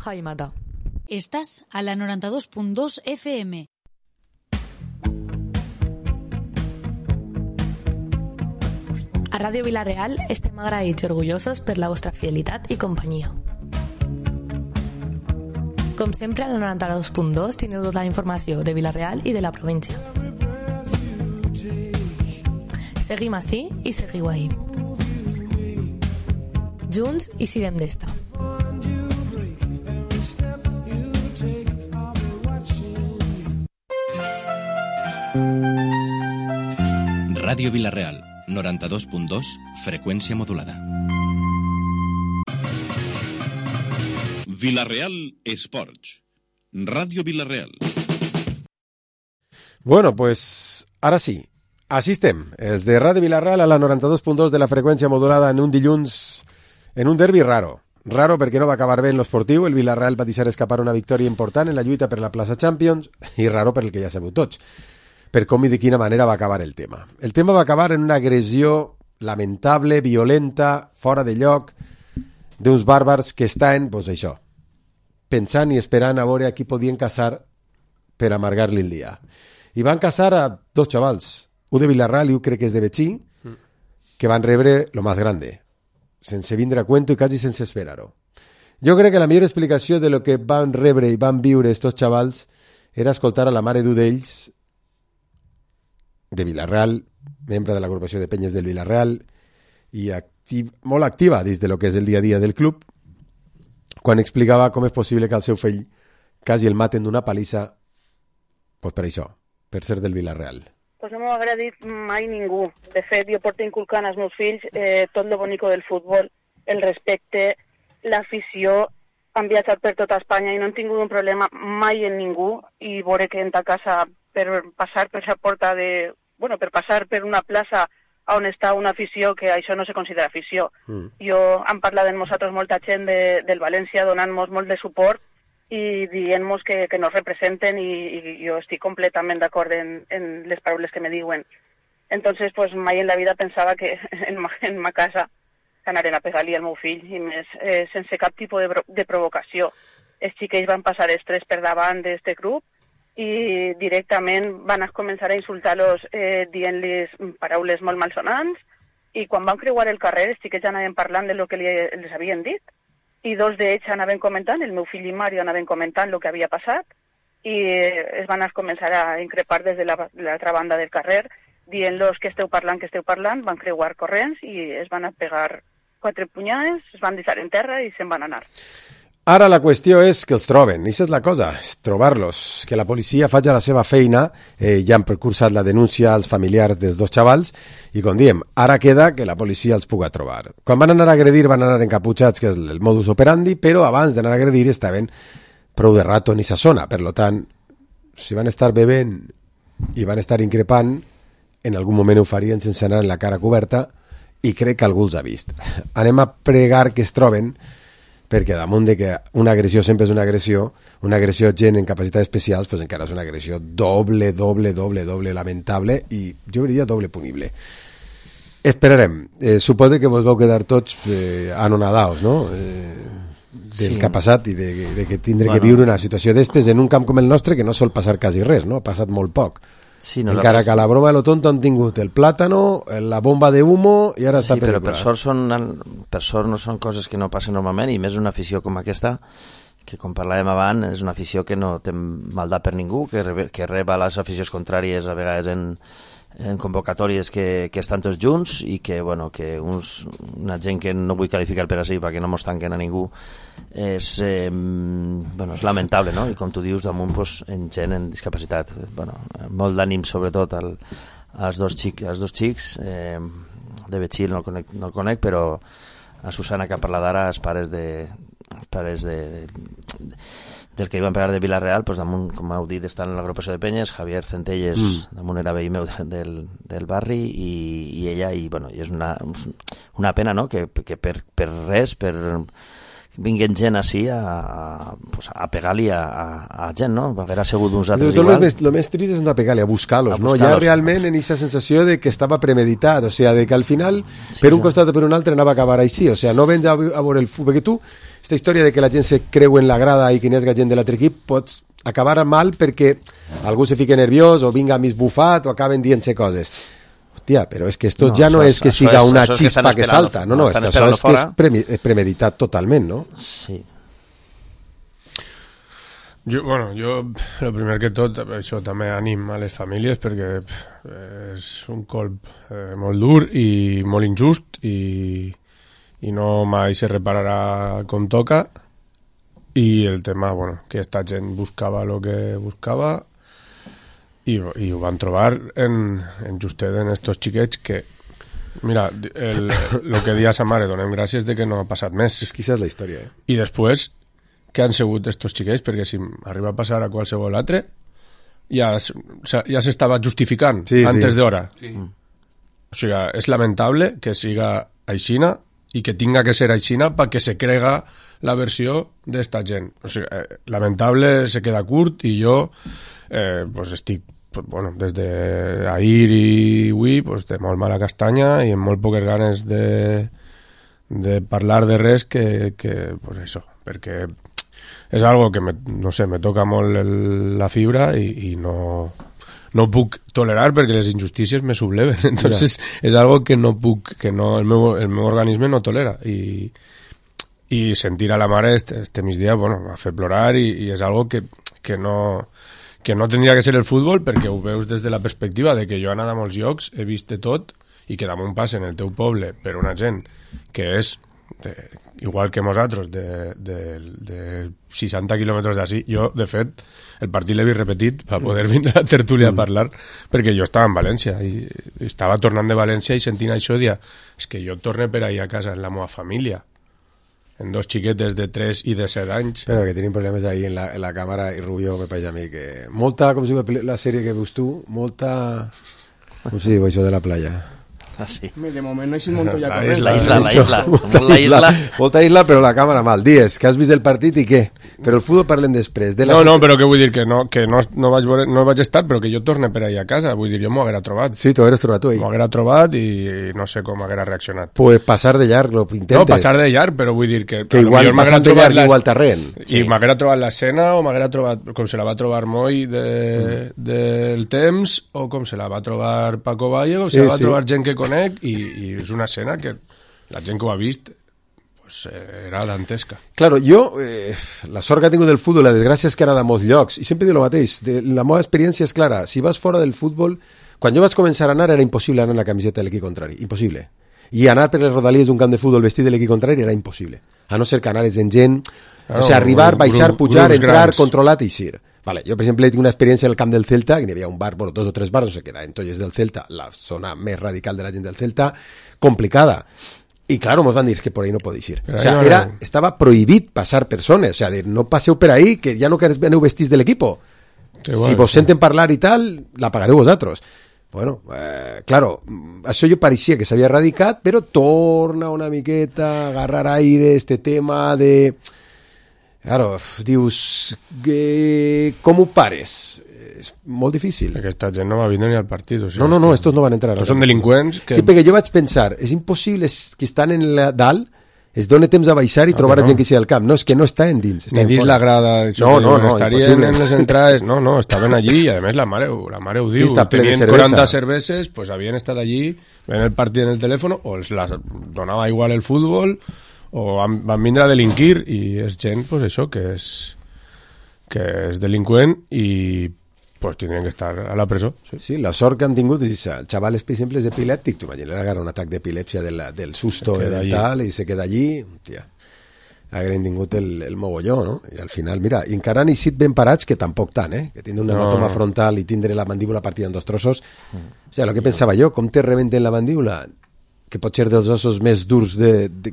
Jaimata. Estàs a la 92.2 FM. A Ràdio Vila-real estem agraïts i orgullosos per la vostra fidelitat i companyia. Com sempre, a la 92.2 tindreu tota la informació de Vila-real i de la província. Seguim ací i seguiu ahí. Junts i sirem d'esta. Ràdio Vila-real, 92.2, freqüència modulada. Vila-real Esports. Ràdio Vila-real. Bueno, pues ara sí. Així estem, els de Ràdio Vila-real a la 92.2 de la freqüència modulada en un dilluns, en un derbi raro. Raro perquè no va acabar bé en l'esportiu, el Vila-real va deixar escapar una victòria important en la lluita per la plaça Champions, i raro per el que ja sabeu tots, per com i de quina manera va acabar el tema. El tema va acabar en una agressió lamentable, violenta, fora de lloc, d'uns bàrbars que estaven, doncs això, pensant i esperant a veure a qui podien caçar per amargar-li el dia. I van caçar a dos xavals, un de Vila-real i un crec que és de Betxí, que van rebre lo más grande, sense vindre a cuento i quasi sense esperar-ho. Jo crec que la millor explicació de lo que van rebre i van viure estos xavals era escoltar a la mare d'un d'ells, de Vila-real, membre de l'agrupació de penyes del Vila-real i molt activa dins de lo que és el dia a dia del club, quan explicava com és possible que el seu fill quasi el maten d'una palissa pues per això, per ser del Vila-real. Pues no m'ho ha agradat mai ningú. De fet, jo porto inculcant als meus fills tot lo bonico del futbol, el respecte, l'afició. Han viatjat per tota Espanya i no han tingut un problema mai en ningú, i veure que en ta casa per passar per la porta de... Bueno, per passar per una plaça on està una afició, que això no se considera afició. Jo han parlat amb nosaltres molta gent del València, donant-nos molt de suport i dient-nos que nos representen, i jo estic completament d'acord en les paraules que me diuen. Entonces, pues mai en la vida pensava que en ma casa anaren a pegar-li al meu fill, i més sense cap tipus de provocació. Els xiquets van passar els tres per davant d'aquest grup i directament van començar a insultar-los dient-los paraules molt malsonants, i quan van creuar el carrer els xiquets anaven parlant de lo que les havien dit, i dos d'ells anaven comentant, el meu fill i Mario anaven comentant el que havia passat, i es van començar a increpar des de l'altra banda del carrer, dient-los que esteu parlant, van creuar corrents i es van a pegar 4 punyades, es van deixar en terra i se'n van anar. Ara la qüestió és que els troben, i això és la cosa, és trobar-los, que la policia faci la seva feina, ja han precursat la denúncia als familiars dels dos xavals, i com diem, ara queda que la policia els puga trobar. Quan van anar a agredir van anar encaputxats, que és el modus operandi, però abans d'anar a agredir estaven prou de rato en aquesta zona, per tant, si van estar bevent i van estar increpant, en algun moment ho farien sense anar en la cara coberta, i crec que algú els ha vist. Anem a pregar que es troben, perquè damunt de que una agressió sempre és una agressió gent en capacitats especials, pues encara és una agressió doble lamentable, i jo diria doble punible. Esperarem. Suposo que vos vau quedar tots anonadaos, no? Del que ha passat i de que tindre que viure una situació d'estes en un camp com el nostre, que no sol passar quasi res, no? Ha passat molt poc. Sí, encara que a la broma de lo tonto han tingut el plàtano, la bomba de humo i ara està però per sort no són coses que no passen normalment, i més una afició com aquesta, que com parlàvem abans és una afició que no té maldat per ningú, que reba les aficions contràries a vegades en convocatòries que estan tots junts, i que, bueno, que una gent que no vull qualificar per així perquè no mos tanquen a ningú, és lamentable, no? I com tu dius, damunt en gent en discapacitat, molt d'ànim sobretot als dos xics, de Betxí no el conec, però a Susana, que ha parlat ara, els pares del que iban a pegar de Vila-real, pues damunt, com heu dit, estan en l'agrupació de penyes. Javier Centelles, damunt era veí meu del barri, i ella, i bueno, és una pena, no?, que per res, vinguin gent així a pegar-li a gent, no? Va haver sigut uns altres Tot igual. lo més trist és no pegar-li, a buscar-los, no? buscar-los, Ja realment en aquesta sensació de que estava premeditat, o sea, de que al final, per un costat o per un altre, anava a acabar així, o sea, no vens a veure el futbol, perquè tu, aquesta història de que la gent se creu en la grada i que n'hi ha gent de l'altre equip, pots acabar mal perquè algú se fica nerviós o vinga mig bufat o acaben dient-se coses. Hòstia, però és que esto ja no és que siga una chispa que salta, no, és que això és que és premeditat totalment, no? Sí. Jo, el primer que tot, això també ànim a les famílies perquè és un colp molt dur i molt injust i no mai se repararà com toca, i el tema, que esta gent buscava el que buscava i ho van trobar en justet en estos xiquets que, mira, el que dia sa mare, donem gràcies de que no ha passat més. És que aquesta és la història, I després, què han sigut estos xiquets? Perquè si arriba a passar a qualsevol altre, ja s'estava justificant antes d'hora. Sí. O sigui, és lamentable que siga aixina i que tinga que ser aixina perquè se crega la versió d'esta gent. O sigui, lamentable, se queda curt, i jo estic des d'ahir i avui de molt mala castanya i amb molt poques ganes de parlar de res que això, perquè és algo que me toca molt la fibra i no puc tolerar perquè les injustícies me subleven. Entonces és algo que no puc, que no, el meu organisme no tolera, i sentir a la mare este migdia va fer plorar, i és algo que no tindria que ser el futbol, perquè ho veus des de la perspectiva de que jo he anat a molts llocs, he vist de tot, i que damunt passen el teu poble per una gent que és igual que nosaltres de 60 quilòmetres d'ací. Jo, de fet, el partit l'he vist repetit per poder vindre a la tertúlia a parlar, perquè jo estava en València i estava tornant de València i sentint això dia, és que jo torne per ahir a casa en la meva família, en dos xiquetes de 3 i de 7 anys. Però que tenim problemes ahí en la càmera, i Rubio me pareix a mi que molta, com si la sèrie que veus tu, molta, com si diu això de la playa? Ah, sí. De moment no he sigut Montoya corrent. La isla. Molta isla, però la càmera mal. Dies, que has vist el partit i què? Però el futbol parlem després. No, però què vull dir? Que no vaig estar, però que jo torne per ahir a casa. Vull dir, jo m'ho haguera trobat. Sí, t'ho hagueres trobat tu ahir. M'ho haguera trobat i no sé com haguera reaccionat. Pues passar de llarg, lo intentes. No, passar de llarg, però vull dir que igual passar de llarg igual terreny. I m'haguera trobat l'escena, o m'haguera trobat com se la va trobar Moi del temps, o com se la va trobar Paco Valle, o se la va trobar gent que conec, i és una escena que la gent que ho ha vist era dantesca. Claro, jo, la sort que ha tingut del futbol, la desgràcia és que he anat a molts llocs, i sempre dic el mateix, la meva experiència és clara, si vas fora del futbol, quan jo vaig començar a anar era impossible anar amb la camiseta de l'equip contrari, impossible. I anar per les rodalies d'un camp de futbol vestit de l'equip contrari era impossible, a no ser que anares en gent, o sigui, arribar, baixar, pujar, entrar, controlat i eixir. Vale, jo, per exemple, tinc una experiència en el camp del Celta, que n'hi havia un bar, 2 o 3 bars, no sé què, en Tolles del Celta, la zona més radical de la gent del Celta, complicada. I, claro, ens van dir que por ahí no podéis ir. O sea, estava prohibit passar persones, o sea, no passeu per ahí, que ja no que aneu vestits de l'equipo. Si vos senten parlar i tal, la pagareu vosaltres. Bueno, claro, això jo pareixia que s'havia erradicat, però torna una miqueta a agarrar aire este tema de... Claro, dius, com ho pares? És molt difícil. Aquesta gent no va vindre ni al partit. O sigui, no, estos no van entrar. Són delinqüents. Sí, perquè jo vaig pensar, és impossible que estan en dalt, es dona temps a baixar i trobar gent que sigui al camp. No, és que no estan dins. Ni dins la grada. No, estarien en les entrades. No, estaven allí, i a més la mare ho diu. Sí, tenien 40 cerveses, pues havien estat allí, veien el partit en el telèfon, o els donava igual el futbol, o van vindre a delinquir, i és gent, pues això, que és delinqüent i pues tindrien que estar a la presó. Sí, la sort que han tingut és el xaval, per exemple, és epilèptic, tu imagines, agarra un atac d'epilèpsia del susto i del tal, i se queda allí, tia, hagueren tingut el mogolló, no? I al final, mira, i encara han eixit ben parats, que tampoc tant, que tindre un hematoma frontal i tindre la mandíbula partida en 2 trossos. O sigui, el que pensava jo, com te rebenten la mandíbula, que pot ser dels ossos més durs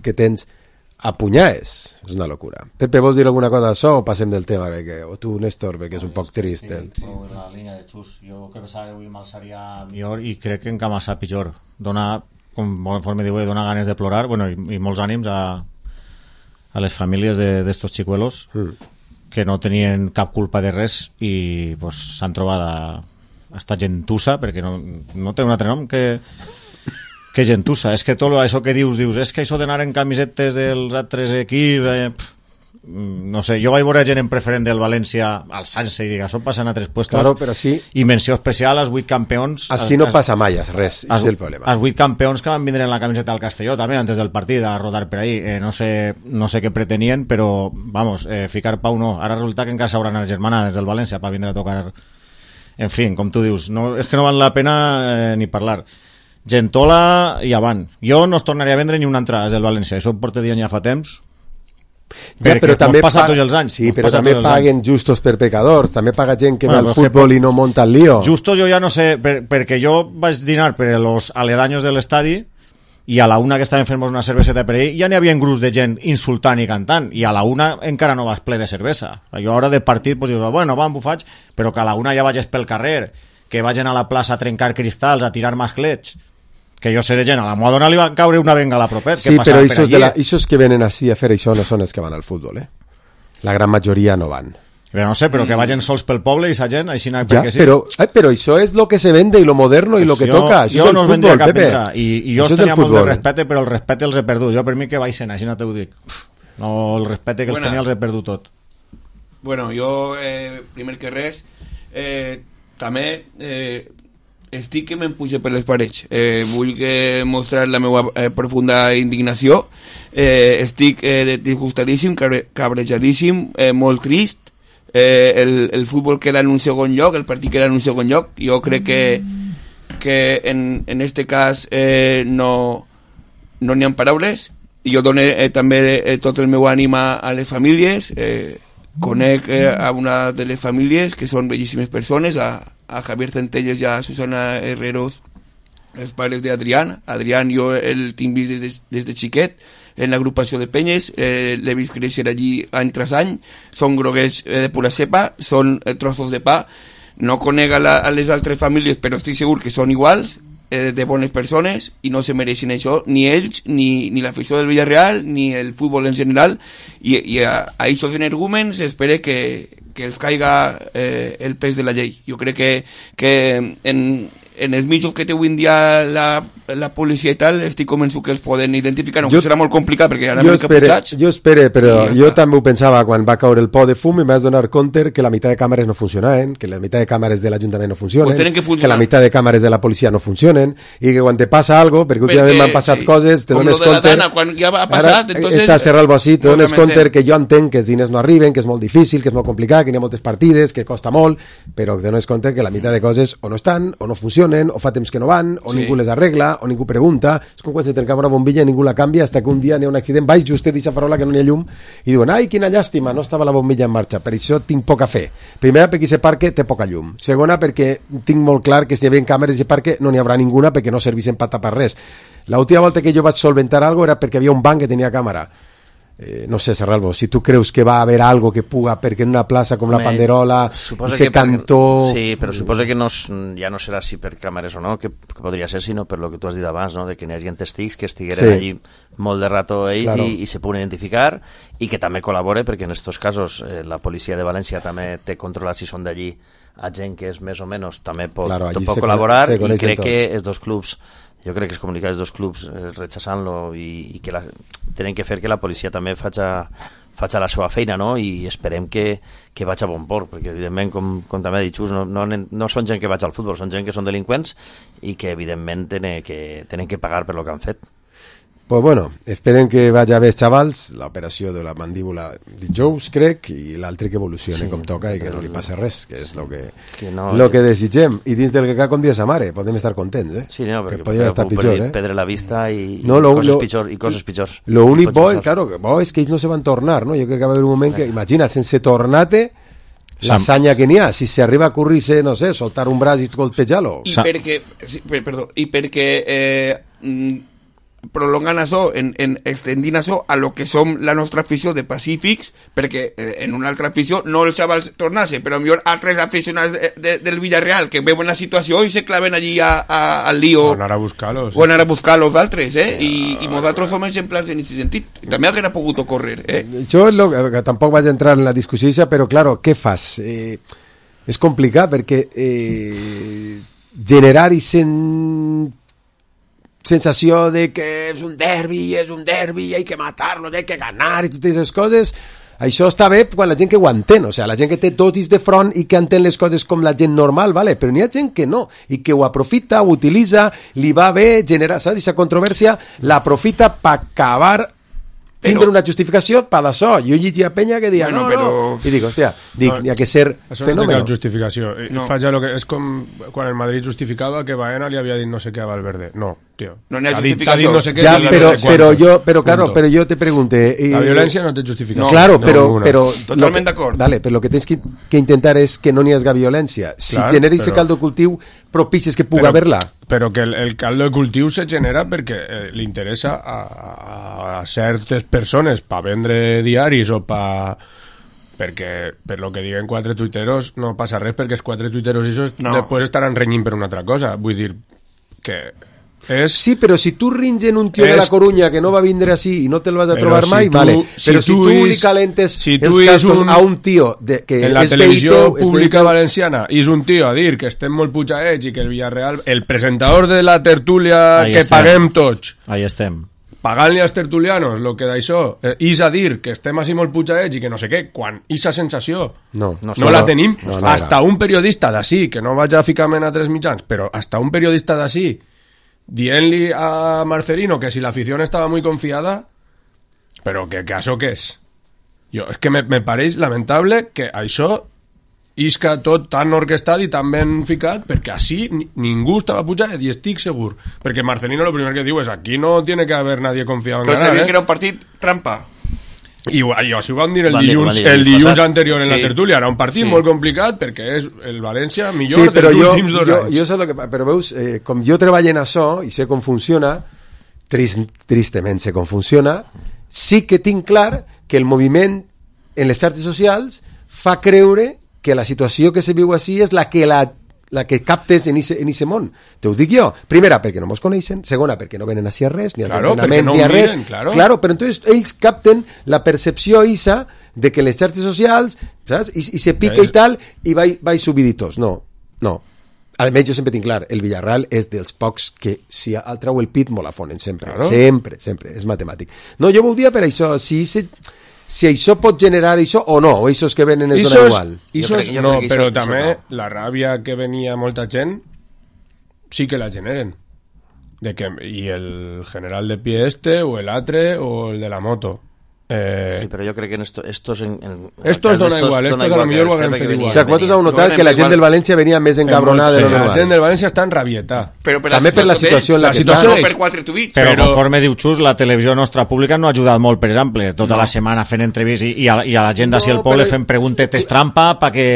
que tens, a punyades, és una locura. Pepe, vols dir alguna cosa d'això o passem del tema? O tu, Néstor, perquè és un poc trist. La línia de Xus, jo que pensava que avui mal seria millor i crec que encara massa pitjor. Dona, com conforme diu, dona ganes de plorar, bueno, i molts ànims a a les famílies d'estos xicuelos que no tenien cap culpa de res i pues, s'han trobat a esta gentussa, perquè no té un altre nom que gentussa. És que tot això que dius, és que això d'anar en camisetes dels altres equips... no sé, jo vaig veure gent en preferent del València alçant-se i dir, això passa en altres puestos, claro, però sí. I menció especial als 8 campions així no passa mai res, és el problema. Els 8 campions que van vindre en la camiseta del Castelló també antes del partit a rodar per ahí, no sé què pretenien, però vamos, ficar pau no, ara resulta que encara s'hauran les germanades del València per vindre a tocar, en fi, com tu dius, no, és que no val la pena ni parlar. Gentola i avant, jo no es tornaria a vendre ni una altra des del València, això ho porto dient ja fa temps. Ja, però també passa tots els anys. Sí, però també paguen justos per pecadors, també paga gent que va al futbol i no monta el lío. Justos jo ja no sé, perquè jo vaig dinar per els aledaños de l'estadi i a la una que estaven fent una cerveseta per ahí ja n'hi havia un grup de gent insultant i cantant i a la una encara no vas ple de cervesa. Jo ara de partit pues dius, bueno, va, m'ho faig, però que a la una ja vagis pel carrer, que vagin a la plaça a trencar cristals, a tirar masclets, que jo sé de gent, a la Madonna li va caure una bengala propet. Sí, però aquests que venen així a fer això no són els que van al futbol, La gran majoria no van. Però no sé, però que vagin sols pel poble i sa gent, així no, perquè sí. Però això és lo que se vende i lo moderno i lo que toca. Això és el futbol, Pepe. I jo tenia molt de respecte, però el respecte els he perdut. Jo per mi que baixen, així no t'ho dic. No, el respecte que els tenia els he perdut tot. Bueno, jo, primer que res, també... estic que me'n puja per les parets, vull mostrar la meva profunda indignació, estic disgustadíssim, cabrejadíssim, molt trist, el futbol queda en un segon lloc, el partit queda en un segon lloc. Jo crec que en este cas no n'hi ha paraules, i jo dono també tot el meu ànim a les famílies. Conec a una de les famílies que són bellíssimes persones, a Javier Centelles i a Susana Herreros, els pares d'Adrián. Adrián jo el tinc vist des de xiquet en l'agrupació de penyes, l'he vist créixer allí any tras any, són groguers de pura cepa, són trossos de pa. No conec a les altres famílies, però estic segur que són iguals, de bones persones, i no se mereixen això, ni ells, ni l'afició del Villarreal, ni el futbol en general, i a aquests energúmens espero que els caiga el pes de la llei. Jo crec que en els mitjos que té avui en dia la policia i tal, estic convençut que els poden identificar, aunque serà molt complicat perquè ara jo espero, però jo també ho pensava quan va caure el pot de fum i m'has donar compte que la meitat de càmeres no funcionaven, que la meitat de càmeres de l'Ajuntament no funcionen, pues que la meitat de càmeres de la policia no funcionen, i que quan te passa algo, perquè últimament m'han passat coses, te dones compte, quan ja ha passat, entonces està cerrat el bocit, te dones compte que jo entenc que els diners no arriben, que és molt difícil, que és molt complicat, que hi ha moltes partides, que costa molt, però te dones compte que la meitat de coses o no estan, o no funcionen, o fa temps que no van, o ningú les arregla, o ningú pregunta. És com quan se trencava una bombilla i ningú la canvia, hasta que un dia n'hi ha un accident, vaig justet d'aquesta farola que no n'hi ha llum, i diuen, ai, quina llàstima, no estava la bombilla en marxa. Per això tinc poca fe. Primera, perquè aquest parc té poca llum. Segona, perquè tinc molt clar que si hi havia càmeres d'aquest parc no n'hi haurà ninguna perquè no serveixen per tapar res. L'última volta que jo vaig solventar algo era perquè havia un banc que tenia càmera. No sé, Serralvo, si tu creus que va haver algo que puga, perquè en una plaça com la Panderola i se cantó... Sí, però suposa que ja no serà si per càmeres o no, que podria ser, sinó per lo que tu has dit abans, no? De que n'hi hagi testics que estigueren allí molt de rato ells, claro, i se poden identificar, i que també col·labore, perquè en aquests casos la policia de València també té controlat si són d'allí a gent que és més o menys, també pot col·laborar, i crec que els dos clubs... Jo crec que es comunicar els dos clubs rechazant-lo i que tenen que fer que la policia també faci la seva feina, no? I esperem que vaig a bon port, perquè evidentment, com també ha dit Xus, no són gent que vaig al futbol, són gent que són delinqüents i que evidentment tenen que pagar per lo que han fet. Pues bueno, esperen que vagi bé, xavals, l'operació de la mandíbula dijous, crec, i l'altre que evolucioni com toca i que no li passi res, que és el que desitgem. I dins del que cal, com dia sa mare, podem estar contents, Sí, no, perquè podria estar pitjor, perdre la vista i coses pitjors. Lo únic bo és, claro, és que ells no se van tornar, no? Jo crec que va haver un moment que, imagina, sense tornar-te, l'hassanya que n'hi ha, si s'arriba a currir-se, no sé, soltar un braç i colpejar-lo. I perquè prolongant això, extendint això a lo que som la nostra afició de pacífics, perquè en una altra afició no els xavals tornar-se, però millor altres aficionats del Villarreal que veuen la situació i se claven allí al lío. O anar a buscar-los. O anar a buscar-los d'altres, i nosaltres som exemplars en aquest sentit. També haguera pogut ocórrer. Jo tampoc vaig entrar en la discussió, però, claro, què fas? És complicat perquè generar i sensació de que és un derbi, hay que matarlo, hay que ganar i totes aquestes coses, això està bé quan la gent que ho entén, o sigui, la gent que té totis de front i que entén les coses com la gent normal, vale? Però n'hi ha gent que no, i que ho aprofita, ho utilitza, li va bé generar, saps? Aquesta controvèrsia l'aprofita per acabar tindre una justificació per d'això. Jo llegia penya que deia, no, i dic, hòstia, n'hi ha que ser això fenòmeno. No té cap justificació. És com quan el Madrid justificava que Baena li havia dit no sé què a Valverde. No, tio. No n'hi ha justificació. No sé què, ja, però jo te pregunté... La violència no té justificació. No, claro, però totalment d'acord. Vale, però el que tens que intentar és que no n'hi hagi violència. Si generis ese caldo de cultiu, propicis que pugui haver-la. Però que el caldo de cultiu se genera perquè li interessa a certes persones per vendre diaris o perquè per lo que diguen 4 tuiteros no passa res, perquè els 4 tuiteros després estaran renyint per una altra cosa. Vull dir que sí, però si tu ringen un tio de la Coruña que no va vindre així i no te'l vas a trobar mai, vale. Però si tu li calentes els cascos a un tio que en la televisió pública valenciana és un tio a dir que estem molt putxaets i que el Villarreal, el presentador de la tertúlia que paguem tots, ahí estem pagant-li als tertulianos el que d'això és a dir que estem així molt putxaets i que no sé què, quan aquesta sensació no la tenim, hasta un periodista d'ací, que no vaig a ficar-me en altres mitjans, però hasta un periodista d'ací dient-li a Marcelino que si la afición estava muy confiada, però que això què és? És que me pareix lamentable que això isca tot tan orquestat i tan ben ficat, perquè així ningú estava pujat i estic segur, perquè Marcelino lo primer que diu és aquí no tiene que haver nadie confiado en ganar, sabia que era un partit trampa. I així ho vam dir el dilluns anterior en la tertúlia. Era un partit molt complicat perquè és el València millor dels últims 2 anys. Jo sé que, però veus, com jo treballo en això i sé com funciona, tristament sé com funciona, sí que tinc clar que el moviment en les xarxes socials fa creure que la situació que se viu així és la que captes en ese món. Te ho dic jo. Primera, perquè no mos coneixen. Segona, perquè no venen així a res, ni als entrenaments, ni a res. Claro, però entonces ells capten la percepció isa de que les xarxes socials, saps? I se pica i tal, i vai subiditos. No. Almenys jo sempre tinc clar, el Villarreal és dels pocs que si el trau el pit molt afonen, sempre. Sempre, és matemàtic. No, jo vull dir per això, si això pot generar això o no, o això és que venen és dona igual. No, però també la ràbia que venia molta gent sí que la generen. I el general de pie o el altre o el de la moto. Sí, però jo crec que estos dona igual, estos a lo millor ho haguem fet igual. O sigui, vosaltres heu notat que la gent del València venia més encabronada de lo normal. La gent del València està en rabieta. També per la situació en la que està. Però conforme diu Xus, la televisió nostra pública no ha ajudat molt, per exemple, tota la setmana fent entrevistes i a la gent d'ací al poble fent preguntetes trampa perquè...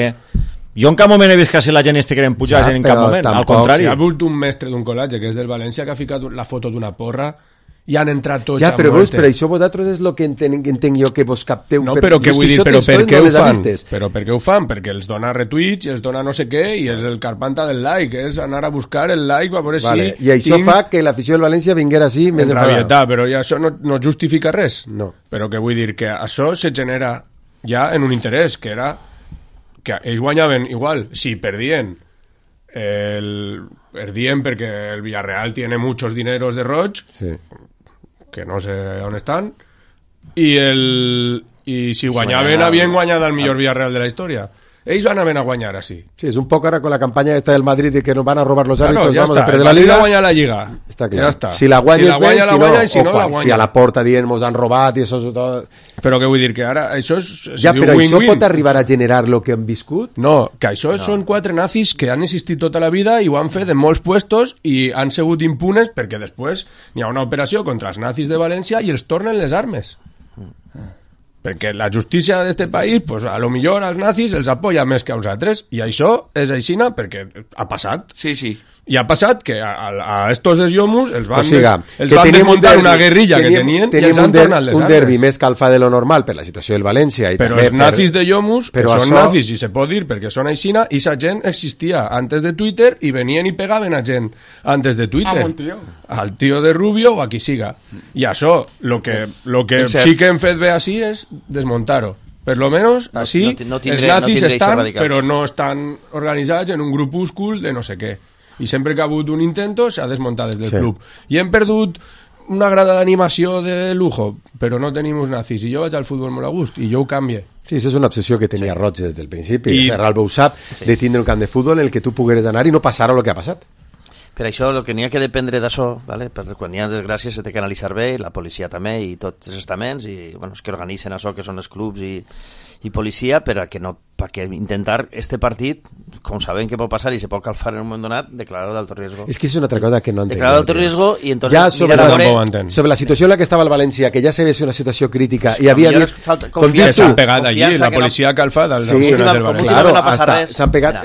Jo en cap moment he vist que si la gent estigueren pujats en cap moment, al contrari. Hi ha hagut un mestre d'un col·legi que és del València que ha ficat la foto d'una porra i han entrat tots a però muerte. Però això vosaltres és el que entenc jo que vos capteu. No, però què vull dir, però per què ho fan? Però per què ho fan? Perquè els dona retuits i els dona no sé què i és el carpanta del like, és anar a buscar el like per veure si... I això fa que l'afició del València vinguera així més enfadada. Però ja això no justifica res. No. Però què vull dir, que això se genera ja en un interès, que era que ells guanyaven igual, si perdien perquè el Villarreal tiene muchos dineros de roig, sí, que no sé on estan, i si guanyaven havien guanyat el millor Villarreal de la història. Ells anaven a guanyar així. Sí, és un poc ara con la campanya esta del Madrid de que nos van a robar los árbitros, ja vamos a perder la Liga. Guanya la Lliga. Està clar. Ja està. Si la guanyes bé, si no, la guanya. Si a la porta dient mos han robat i això és tot... Però què vull dir, que ara això és ja, però això pot arribar a generar lo que han viscut? No, que això són 4 nazis que han existit tota la vida i ho han fet en molts puestos i han sigut impunes perquè després hi ha una operació contra els nazis de València i els tornen les armes. Perquè la justícia d'este país, pues, a lo millor als nazis els apoya més que a uns altres, i això és aixina perquè ha passat. Sí. I ha passat que a estos desllomos els van, els van desmuntar una guerrilla que tenien i els han tornat les armes. Un derbi més calfa de lo normal per la situació del València. I però també els nazis de Llomus, que són això... nazis, i se pot dir, perquè són aixina, i sa gent existia antes de Twitter i venien i pegaven a gent antes de Twitter. Al tío de Rubio o a qui siga. I això, lo que sí que hem fet bé així és desmuntar-ho. Per lo menos, així, els nazis estan, però no estan organitzats en un grupúscul de no sé què. I sempre que ha hagut un intento s'ha desmuntat des del club. I hem perdut una grada d'animació de lujo, però no tenim uns nazis. I jo vaig al futbol molt a gust, i jo ho canvie. Sí, això és una obsessió que tenia Roig des del principi. I Ralbo ho sap, de tindre un camp de futbol en el que tu pogueres anar i no passar el que ha passat. Per això el que n'hi ha que dependre d'això, ¿vale? Quan hi ha desgràcies se té que analitzar bé, la policia també i tots els estaments, i bueno, és que organitzen això que són els clubs i policia perquè intentar este partit, com sabem que pot passar i se pot calfar en un moment donat, declarar d'alto riesgo. És que és una altra cosa que no entenc. Declarar d'alto riesgo i entonces ja sobre la situació en la que estava el València, que ja se ve una situació crítica i havia dit... S'han pegat allí, la policia ha calfat als aficionats del València. Claro, s'han pegat,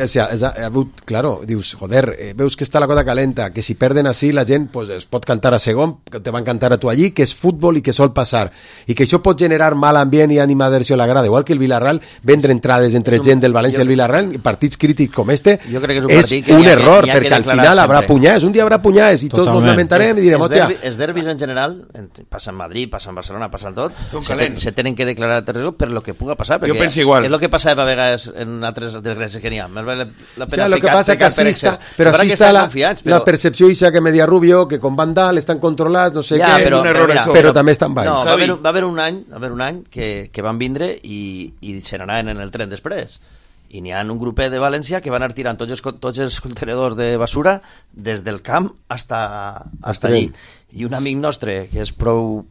claro, dius, joder, veus que està la cosa calenta, que si perden així la gent pues, es pot cantar a segon, que te van cantar a tu allí, que és futbol i que sol passar, i que això pot generar mal ambient i animadversió a la grada, igual que el Villarreal, vendre entrades entre gent del València i el Villarreal, partits crítics com este, és un error, perquè al final habrà punyades, un dia habrà punyades i tots ens lamentarem i direm, hòstia... Els derbis en general, passa en Madrid, passa en Barcelona, passa en tot, se tenen que declarar per lo que puga passar, perquè és el que passa a vegades en altres desgràcies que n'hi ha. El que passa que però així està la percepció ixa que media Rubio, que con Vandal estan controlats, no sé què, però també estan baix. No, va haver un any que van vindre i se n'anaven en el tren després. I n'hi ha un grupet de València que van anar tirant tots els contenedors de basura des del camp hasta allí. I un amic nostre, que és prou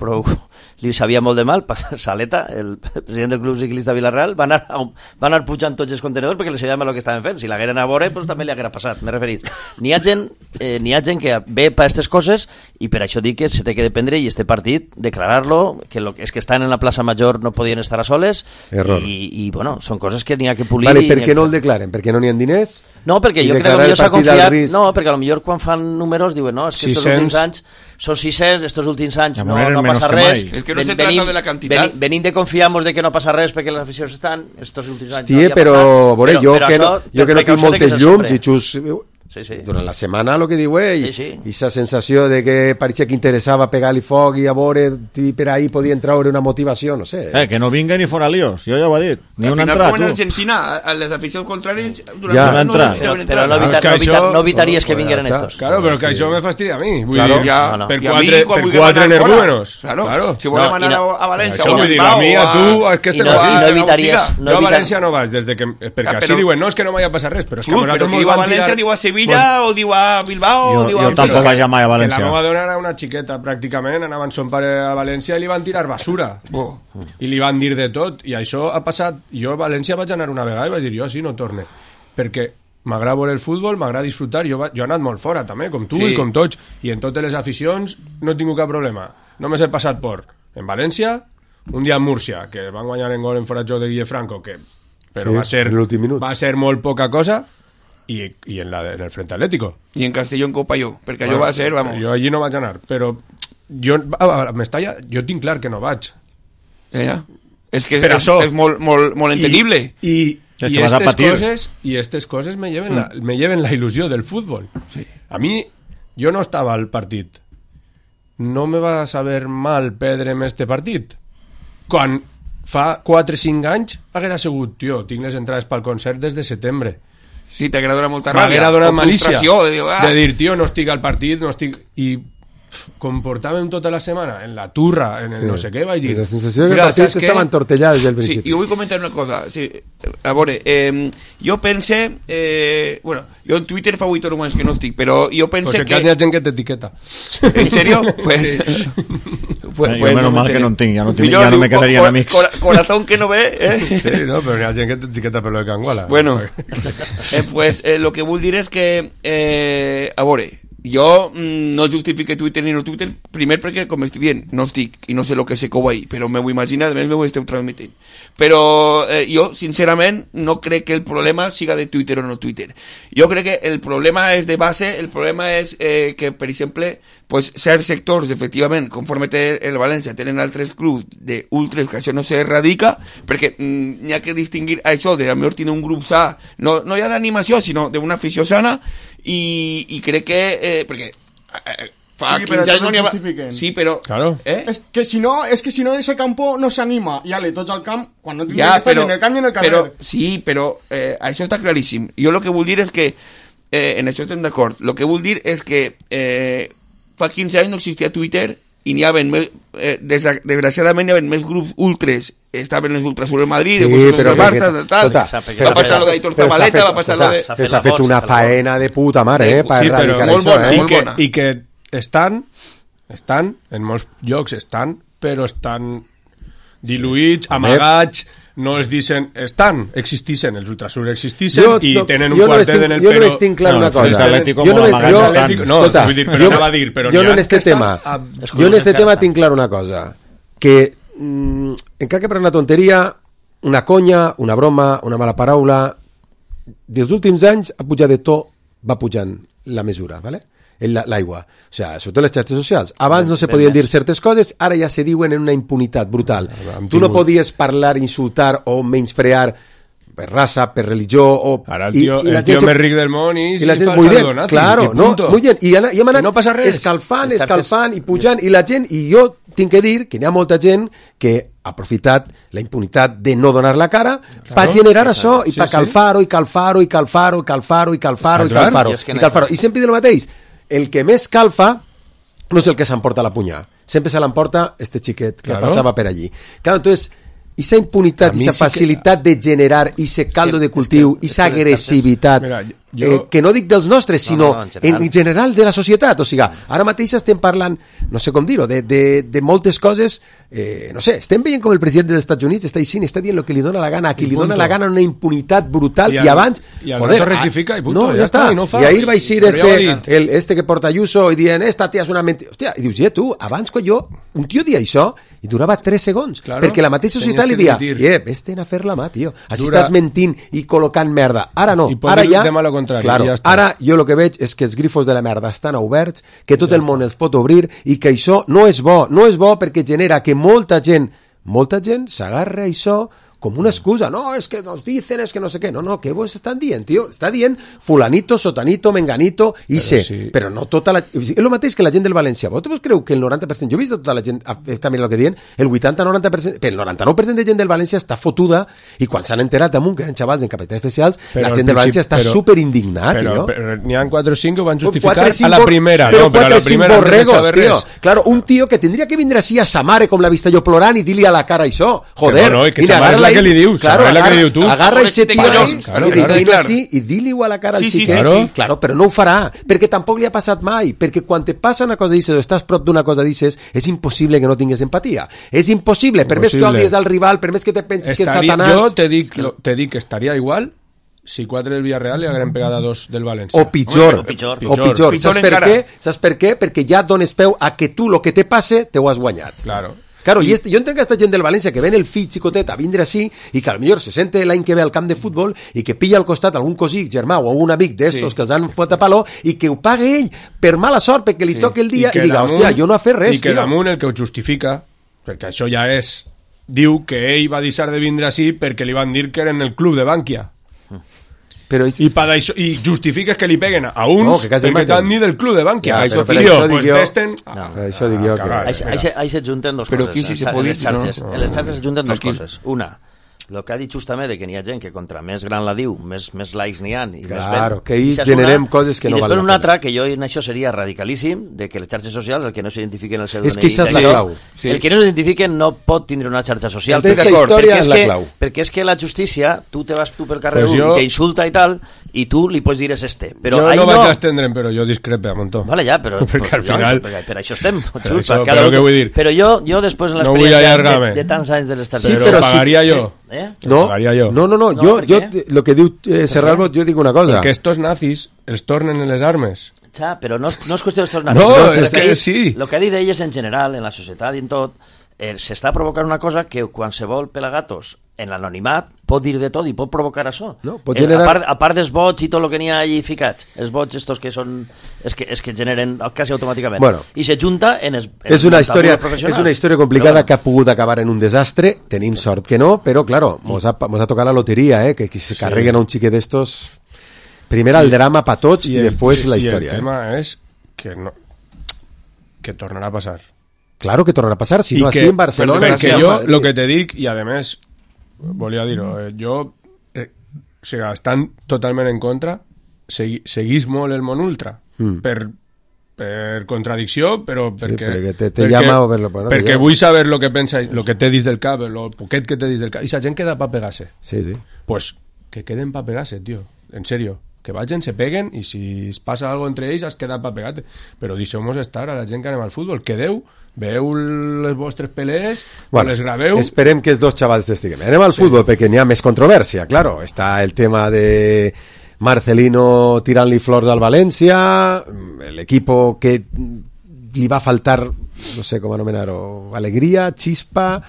li sabia molt de mal, Saleta, el president del club ciclista de Villarreal, va anar pujant tots els contenedors perquè li sabia el que estaven fent. Si l'hagueren a veure, doncs també li haguera passat, m'he referit. N'hi ha gent que ve per aquestes coses i per això dic que se té que dependre i este partit, declarar-lo, que és que estan en la plaça Major no podien estar a soles i bueno, són coses que n'hi ha que polir. Vale, per què no el declaren? Perquè no n'hi ha diners? No, perquè jo crec que potser s'ha confiat... No, perquè potser quan fan números diuen no, és que estos últims anys són 600, estos últims anys no passa res. És que no se trata de la quantitat. Venim de confiamos de que no passa res perquè les aficions estan, estos últims anys no havia passat. Però jo que no tinc moltes llums i xus... Durant la setmana el que diu ell i aquesta sensació de que pareixia que interessava pegar-li foc i a veure si per ahí podien treure una motivació, no sé. Que no vinga ni fora líos, jo ja ho he dit, ni una entrada. Al final, com en Argentina, a les aficions contràries però no evitaries que vingueren estos. Claro, però que això me fastidia a mi. Per quatre energúmenos. Si volem anar a València o a Bilbao, a mi, a tu, és que este no evitaries. Jo a València no vaig, perquè així diuen, no, és que no m'hi ha passat res, però és que però qui diu a València diu a Sevilla o diu a Bilbao o diu a... Jo tampoc vaig mai a València. Que la meva dona era una xiqueta, pràcticament, anava amb son pare a València i li van tirar basura. I li van dir de tot. I això ha passat... Jo a València vaig anar una vegada i vaig dir, jo sí no torne. Perquè m'agrada veure el futbol, m'agrada disfrutar. Jo he anat molt fora, també, com tu i com tots. I en totes les aficions no he tingut cap problema. Només he passat por en València, un dia en Múrcia, que van guanyar en gol en fora de Guille Franco, però va ser molt poca cosa. I en el Frente Atlético i en Castelló en Copalló, perquè allò va ser, vamos. Jo allí no vaig anar, però jo tinc clar que no vaig. És que és molt entendible i aquestes coses me lleven la il·lusió del futbol. A mi, jo no estava al partit, no me va saber mal perdre'm este partit quan fa 4 o 5 anys haguera sigut, tio, tinc les entrades pel concert des de setembre. Sí, t'haguera donat molta ràbia. M'haguera donat malícia de dir, tio, no estic al partit, no estic... I comportàvem tota la setmana en la turra, en el no sé què, vaig dir... La sensació que el partit estava entortellat des del principi. Sí, i vull comentar una cosa. Sí, a veure, jo pense... bueno, jo en Twitter fa 8 hores que no estic, però jo pense que... Pues hi ha gent que t'etiqueta. ¿En serio? Pues... Pues menos mal que no en tinc, ja no me quedarien amics. Corazón que no ve, Sí, no, però hi ha gent que t'etiqueta per lo de Canguala. Bueno, pues lo que vull dir és que, a veure, jo no justifique Twitter ni no Twitter, primer perquè, com estic dient, no estic i no sé el que se cou ahí, però m'ho imagino, a més m'ho esteu transmitint. Però jo, sincerament, no crec que el problema siga de Twitter o no Twitter. Jo crec que el problema és de base, el problema és que, per exemple, pues, certs sectors, efectivament, conforme té el València, tenen altres clubs d'ultres, que això no s'erradica, perquè n'hi ha que distingir això de, a millor, tenir un grup sa, no ja d'animació, sinó d'una afició sana, i crec que perquè fa 15 anys no n'hi ha... Sí, però... Claro. Es que si no en ese campo no s'anima. I ale, tots al camp, quan no tindria que estar en el camp i en el carrer. Sí, però això està claríssim. Jo el que vull dir és que en això estem d'acord. El que vull dir és que fa 15 anys no existia Twitter i n'hi havia més, desgraciadament n'hi havia més grups ultres, estaven els ultras sobre el Madrid, sí, però el Barça, tal, va passar lo d'Aitor Zabaleta, va passar lo de... Però s'ha fet una faena de puta mare, per sí, erradicar molt això, bona, I que estan, en molts llocs però estan diluïts, amagats, no es dicen, existixen, els ultrasurs existixen i tenen un quartet en el però... Jo no estic clar una cosa. Jo en este tema tinc clar una cosa, que encara que per una tonteria, una conya, una broma, una mala paraula, dels últims anys ha pujat de to, va pujant la mesura, ¿vale? L'aigua, o sigui, sobretot les xarxes socials. Abans no se podien dir certes coses, ara ja se diuen en una impunitat brutal. Tu no podies parlar, insultar o menysprear per raça, per religió o... Ara el tio més ric del món i la gent, fa muy el bien, donazi, claro, i punto. Muy bien, i hem anat no passa res. escalfant i pujant, i la gent, i jo tinc que dir que n'hi ha molta gent que ha aprofitat la impunitat de no donar la cara per generar això i per calfar-ho i calfar-ho i calfar-ho i calfar-ho i calfar-ho i calfar-ho i sempre diu el mateix, el que més calfa no és el que s'emporta la punyà, sempre se l'emporta este xiquet que passava per allí. Claro, entonces, esa impunitat, esa facilitat de generar ese caldo de cultiu, esa agressivitat, que no dic dels nostres, sinó en general de la societat. O sigui, ara mateix estem parlant, no sé com dir-ho, de moltes coses, no sé, estem veient com el president dels Estats Units està dient el que li dona la gana, a qui li dona la gana una impunitat brutal, i abans, joder, rectifica i punto, ja està, i ahir va eixir este que porta Ayuso i dient, esta tia és una mentida, hòstia, i dius, tu, abans quan un tio dia això, i durava 3 segons, perquè la mateixa societat li dia, vés-te'n a fer la mà, tio, així estàs mentint i col·locant merda, ara no, ara ja, claro, ara jo el que veig és que els grifos de la merda estan oberts, que tot el món els pot obrir i que això no és bo perquè genera que molta gent s'agarra a això com una excusa, no, és que nos dicen, és que no sé què, no, què vos estan dient, tio? Està dient fulanito, sotanito, menganito, però no tota la... És el mateix que la gent del València. Vosaltres creu que el 90%, jo he vist tota la gent, està mirant el que diuen, el 80-90%, el 99% de gent del València està fotuda, i quan s'han enterat amunt, que eren xavals en capacitats especials, la gent del València està superindignat, tio. Però n'hi ha 4 o 5 que ho van justificar a la primera, però 4 o 5 borregos, tio. Claro, un tio que tindria que vindre així a sa mare com l'ha vist jo plorant i dir-li a la cara això, joder, i agarra-la que li dius, claro, agarra ese tío i dili-ho a la cara al xiquet, claro, però no ho farà, perquè tampoc li ha passat mai, perquè quan te passa una cosa d'ixes o estàs prop d'una cosa d'ixes, és impossible que no tingues empatia, és impossible, per més que odies al rival, per més que te pensis que és Satanàs. Jo te dic que estaria igual si 4 del Villarreal li hagueren pegat a 2 del València. O pitjor. Saps per què? Perquè ja dones peu a que tu, lo que te passe, te ho has guanyat. Claro, jo entenc que aquesta gent del València que ven el fill xicotet a vindre així i que potser se sente l'any que ve al camp de futbol i que pilla al costat algun cosí, germà o algun amic d'estos que els han fot a palo i que ho pague ell per mala sort perquè li toque el dia i diga, hòstia, jo no he fet res. I que damunt el que ho justifica, perquè això ja és, diu que ell va deixar de vindre així perquè li van dir que era en el club de Bànquia. I justifiques que li peguen a uns perquè t'han dit del club de Bànquia. Això dic jo. Ahí se junten dos coses. En les xarxes se junten dos coses. Una, el que ha dit justament de que n'hi ha gent que contra més gran la diu, més likes n'hi ha i claro, que ahí generem coses que no valen la pena. I després una altra, que jo en això seria radicalíssim, de que les xarxes socials, el que no s'identifiquen el seu DNI, és que això és la clau. El que no s'identifiquen no pot tindre una xarxa social, perquè és que la justícia, tu te vas pel carrer i t'insulta i tal, i tu li pots dir és este. Jo no vaig estendre'm, però jo discrepe a muntó. Vale, ja, però perquè al final... Per això estem. Però què vull dir? Però jo després en l'experiència de tants anys de les xarxes... Però pagaria jo. No, jo, el que diu Serralbo, jo dic una cosa. Perquè estos nazis els tornen en les armes. Ja, però no és qüestió d'estos No, és que sí. El que ha dit ell és en general, en la societat i en tot, s'està provocant una cosa que qualsevol pelagatos en l'anonimat pot dir de tot i pot provocar això. No, pot generar... a part dels vots i tot el que n'hi ha allí ficats, els vots estos que són és que generen quasi automàticament. Bueno, i se junta en els és una història complicada que ha pogut acabar en un desastre. Tenim sort que no, però claro, mos ha tocat la loteria, que se carreguen a un xiquet d'estos. Primer el drama pa tots i després la història. I el tema és que tornarà a passar. Claro que tornarà a passar, si no, així en Barcelona... Perquè jo, el que te dic, i a més, volia dir-ho, jo, o sigui, estan totalment en contra, seguís molt el món ultra, per contradicció, però perquè... perquè vull saber el que pensa, el que té dins del cap, el poquet que té dins del cap, i la gent queda pa pegar-se. Sí. Pues que queden pa pegar-se, tio, en serio. Que vagin, se peguen, i si es passa algo entre ells, has quedat pa pegar-te. Però deixeu-nos estar a la gent que anem al futbol. Quedeu, veieu les vostres pelees, les graveu... Esperem que els dos xavals estiguem. Anem al futbol, perquè n'hi ha més controvèrsia, claro. Està el tema de Marcelino tirant-li flors al València, l'equipo que li va faltar, no sé com anomenar-ho, alegria, xispa...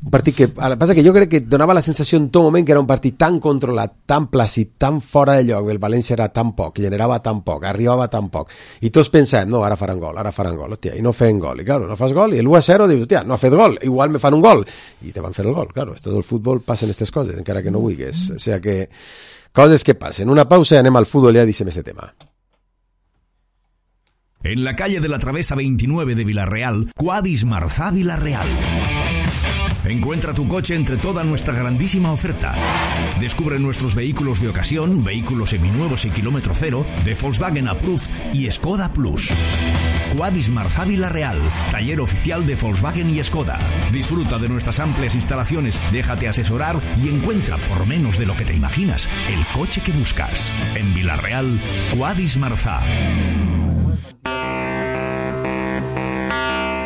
Un partit que... El que passa que jo crec que donava la sensació en tot moment que era un partit tan controlat, tan plàcid, tan fora de lloc, el València era tan poc, generava tan poc, arribava tan poc, i tots pensàvem, no, ara faran gol, hòstia, i no feien gol, i claro, no fas gol, i l'1-0 dius, hòstia, no ha fet gol, igual me fan un gol, i te van fer el gol, claro, esto del futbol passen aquestes coses, encara que no vulguis, o sea que coses que passen. Una pausa i anem al futbol i ja deixem este tema. En la calle de la Travesa 29 de Villarreal, Quadis Marzá Villarreal. Encuentra tu coche entre toda nuestra grandísima oferta. Descubre nuestros vehículos de ocasión, vehículos seminuevos y kilómetro cero, de Volkswagen Approved y Skoda Plus. Quadis Marzá Villarreal, taller oficial de Volkswagen y Skoda. Disfruta de nuestras amplias instalaciones, déjate asesorar y encuentra, por menos de lo que te imaginas, el coche que buscas. En Villarreal, Quadis Marzá.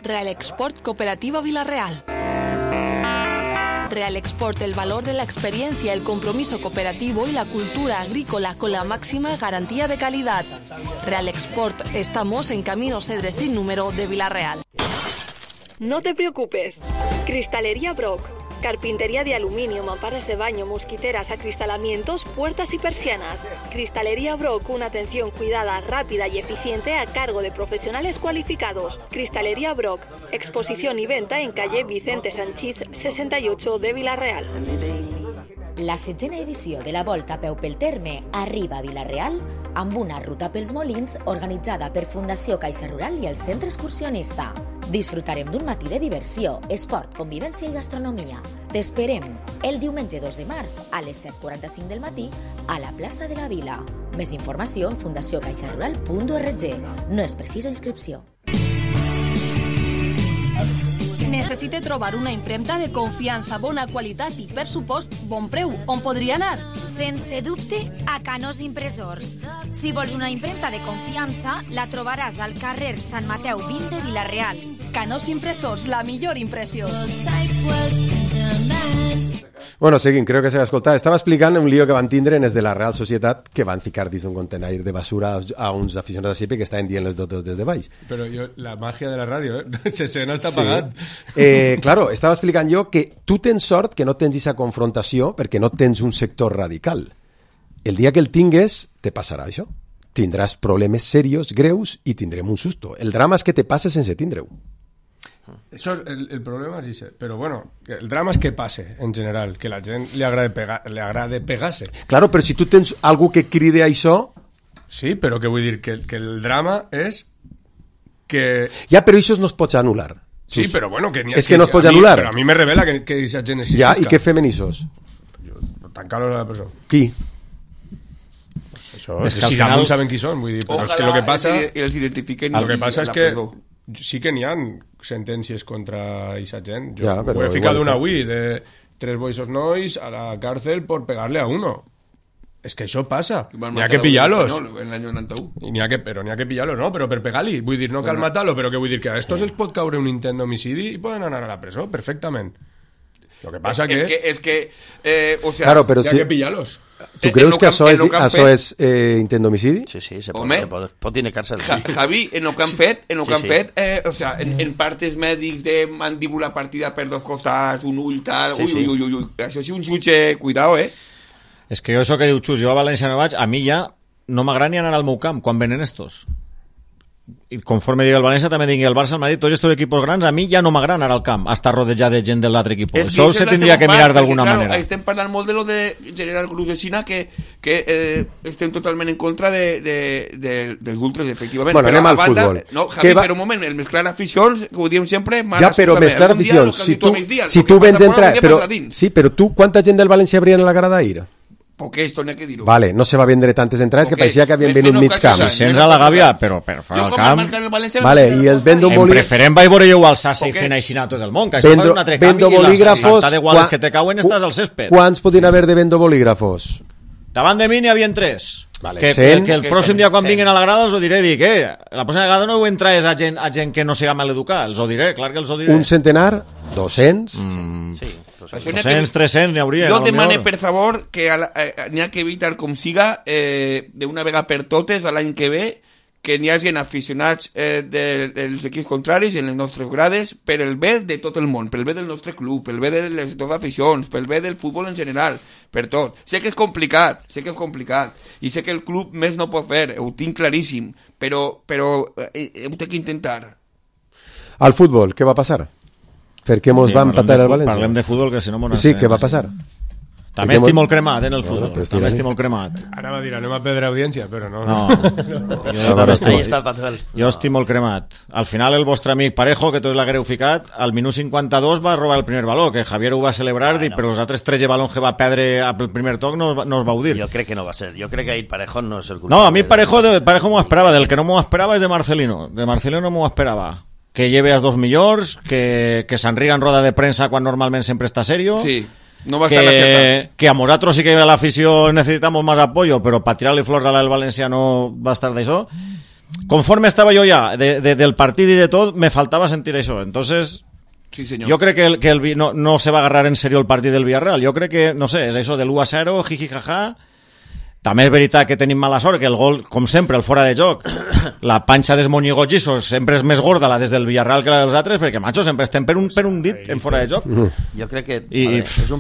Real Export Cooperativa Villarreal. Real Export, el valor de la experiencia, el compromiso cooperativo y la cultura agrícola con la máxima garantía de calidad. Real Export, estamos en Camino Cedres sin número de Villarreal. No te preocupes. Cristalería Brock. Carpintería de aluminio, mamparas de baño, mosquiteras, acristalamientos, puertas y persianas. Cristalería Brock, una atención cuidada, rápida y eficiente a cargo de profesionales cualificados. Cristalería Brock, exposición y venta en calle Vicente Sanchís 68 de Villarreal. La 7ª edició de la Volta a peu pel terme arriba a Villarreal amb una ruta pels Molins organitzada per Fundació Caixa Rural i el Centre Excursionista. Disfrutarem d'un matí de diversió, esport, convivència i gastronomia. T'esperem el diumenge 2 de març a les 7:45 del matí a la plaça de la Vila. Més informació en fundacioncaixarural.org. No és precisa inscripció. Necessite trobar una impremta de confiança, bona qualitat i, per supost, bon preu. On podria anar? Sense dubte, a Canós Impressors. Si vols una impremta de confiança, la trobaràs al carrer Sant Mateu 20 de Villarreal. Canós Impressors, la millor impressió. Bueno, seguim, creo que s'ha escoltat. Estava explicant un lío que van tindre en els de la Real Societat, que van ficar dins d'un contenidor de basura a uns aficionats de Sipe que estaven dient les dotes des de baix. Però la màgia de la ràdio, se no està pagat. Claro, estava explicant jo que tu tens sort que no tens aquesta confrontació perquè no tens un sector radical. El dia que el tingues, te passarà això. Tindràs problemes serios, greus, i tindrem un susto. El drama és que te passes sense tindre-ho. Eso es el problema, sí, pero bueno, el drama es que pase en general, que la gent le agrade pegarse. Claro, però si tu tens algú que cride a això... Sí, però que vull dir que el drama és que... Ja, però això no es pot anul·lar. Sí, però bueno... És que no es pot anul·lar. Però a mi me revela que aquesta gent existisca. Ja, i què fem en això? Tancar-los a la presó. Qui? Això, si alguns saben qui són, vull dir, però és que el que passa... els identifiquen el que passa és que sí que n'hi ha sentències contra aquesta gent. Jo ho he ficat una avui de 3 boixos nois a la cárcel por pegarle a uno. Es que això passa. N'hi ha que pillar-los. En l'any 91. Però n'hi ha que pillar-los, no? Però per pegar-li. Vull dir, no cal matar-lo, però que vull dir que a estos els pot caure un intent d'homicidi i poden anar a la presó, perfectament. Lo que pasa es que o sea, claro, pero hay que pillarlos. Tu creus que això és intent d'homicidi? Sí, se pot dir càrcel. Javi, en el que han fet, o sea, en partes mèdics de mandíbula partida per dos costats, un ull tal, ui, això és un jutge, cuidao, És que jo això que diu Xus, jo a València no vaig, a mi ja no m'agrada ni anar al meu camp quan venen estos. I conforme digui el València també digui el Barça, el Madrid, tots estos equipos grans, a mi ja no m'agrada anar al camp a estar rodejat de gent de l'altre equip. Això se tindria que mirar d'alguna manera. Estem parlant molt de lo de General Cruz de Xina, que estem totalment en contra dels ultras, efectivament. Bueno, anem al futbol. No, Javi, però un moment, el mesclar aficions, que ho diem sempre, ja, però mesclar aficions, si tu vens entrar, però tu, quanta gent del València habria en la grada ahir? Porque esto no hay que dir-ho. Vale, no se va vendre tantes entrades que parecía que havien venut mig camp. 600 a la Gàbia, però per fora del camp. Vale, i el vendo bolígrafos... En preferent vaig veure jo al Sassa i fent així a tot el món, que això fa un altre canvi i les 60 guales que te cauen estàs al césped. Quants podien haver de vendo bolígrafos? Davant de mi n'hi havia 3. Vale, que el pròxim dia quan vinguin a la grada els ho diré, dic, la pròxima vegada no ho entraes a gent que no siga maleducar, els ho diré, clar que els ho diré. Un centenar? 200? Sí. 200, 300 n'hi hauria. Jo demane, per favor, que n'hi ha que evitar com siga d'una vegada per totes l'any que ve que n'hi hagi aficionats dels equips contraris en les nostres grades per el bé de tot el món, pel bé del nostre club, pel bé de les dues aficions, pel bé del futbol en general, per tot. Sé que és complicat, i sé que el club més no pot fer, ho tinc claríssim, però ho té que intentar. Al futbol, què va passar? Per què mos va empatar el València? Parlem de futbol, que si no... Sí, què va passar? També estic molt cremat en el futbol. També estic molt cremat. Ara va dir, anem a perdre audiència, però no. Jo estic molt cremat. Al final el vostre amic Parejo, que tots l'haguereu ficat, al minut 52 va robar el primer baló, que Javier ho va celebrar, però els altres 13 balons que va perdre al primer toc no es va dir. Jo crec que no va ser. Jo crec que ahir Parejo no és el culpable. No, a mi Parejo m'ho esperava. Del que no m'ho esperava és de Marcelino. De Marcelino m'ho esperava. Que lleve als dos millors, que s'enriga en roda de premsa quan normalment sempre està serio. Sí. No va estar que a nosaltres sí que a l'afició necessitamos más apoyo, però per tirar-li flors a el València no va estar d'això. Conforme estava jo ja del partit i de tot, me faltava sentir això. Entonces, sí, senyor. Jo crec que no se va agarrar en serio el partit del Villarreal. Jo crec que, no sé, és això de l'1-0, jiji jaja. També és veritat que tenim mala sort, que el gol, com sempre, el fora de joc, la panxa dels monigogisos sempre és més gorda la des del Villarreal que la dels altres, perquè, macho, sempre estem per un dit en fora de joc. Jo crec que és un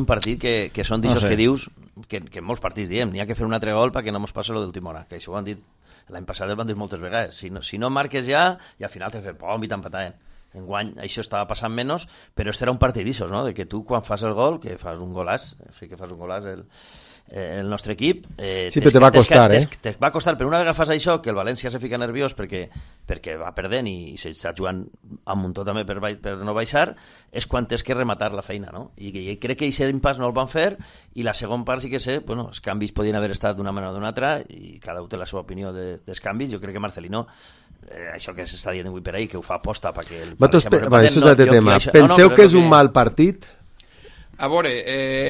partit que són d'aixòs que dius, que molts partits diem, n'hi ha que fer un altre gol perquè no mos passa lo d'última hora, que això ho han dit, l'any passat ho han dit moltes vegades, si no marques ja, i al final te fem pom i t'empataven. Enguany això estava passant menys, però este era un partit d'aixòs, no? De que tu quan fas el gol, que fas un golàs, sí que fas un golàs el nostre equip sí, però te va costar, te va costar, però una vegada fas això, que el València se fica nerviós perquè va perdent i s'està jugant amb un tot també per no baixar, és quan tens que rematar la feina, no? I crec que aquest impàs no el van fer, i la segona part sí que sé, bueno, els canvis podien haver estat d'una manera o d'una altra, i cada un té la seva opinió dels canvis. Jo crec que Marcelino, això que s'està dient avui per ahí, que ho fa aposta perquè el València no tema. Penseu que és un mal partit? A veure,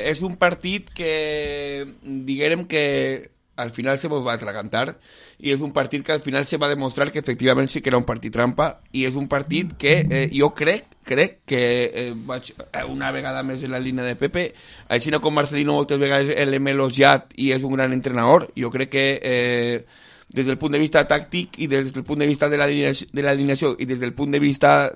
és un partit que diguem que al final se va atragantar, i és un partit que al final se va demostrar que efectivament sí que era un partit trampa, i és un partit que jo crec que vaig una vegada més en la línia de Pepe, així com Marcelino moltes vegades l'hem elogiat i és un gran entrenador. Jo crec que des del punt de vista tàctic i des del punt de vista de l'alineació i des del punt de vista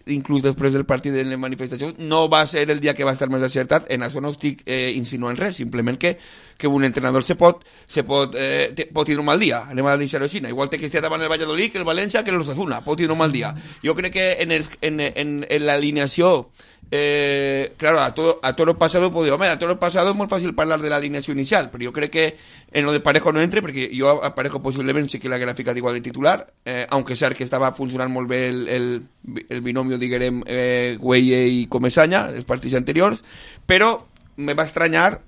inclús després del partit de les manifestacions, no va ser el dia que va estar més acertat. En això no estic insinuant res, simplement que un entrenador pot tenir un mal dia, anem a deixar-ho així, igual que estigui davant el Valladolid, que el València, que l'Osasuna, pot tenir un mal dia. Jo crec que en l'alineació, claro, a toro pasado a toro pasado es muy fácil hablar de la alineación inicial, pero yo creo que en lo de Parejo no entre, porque yo a Parejo posiblemente sí que la graficat igual de titular, aunque sea que estava funcionant molt bé el binomio, diguem, Güelle i Comesaña, els partits anteriors, però me va estranyar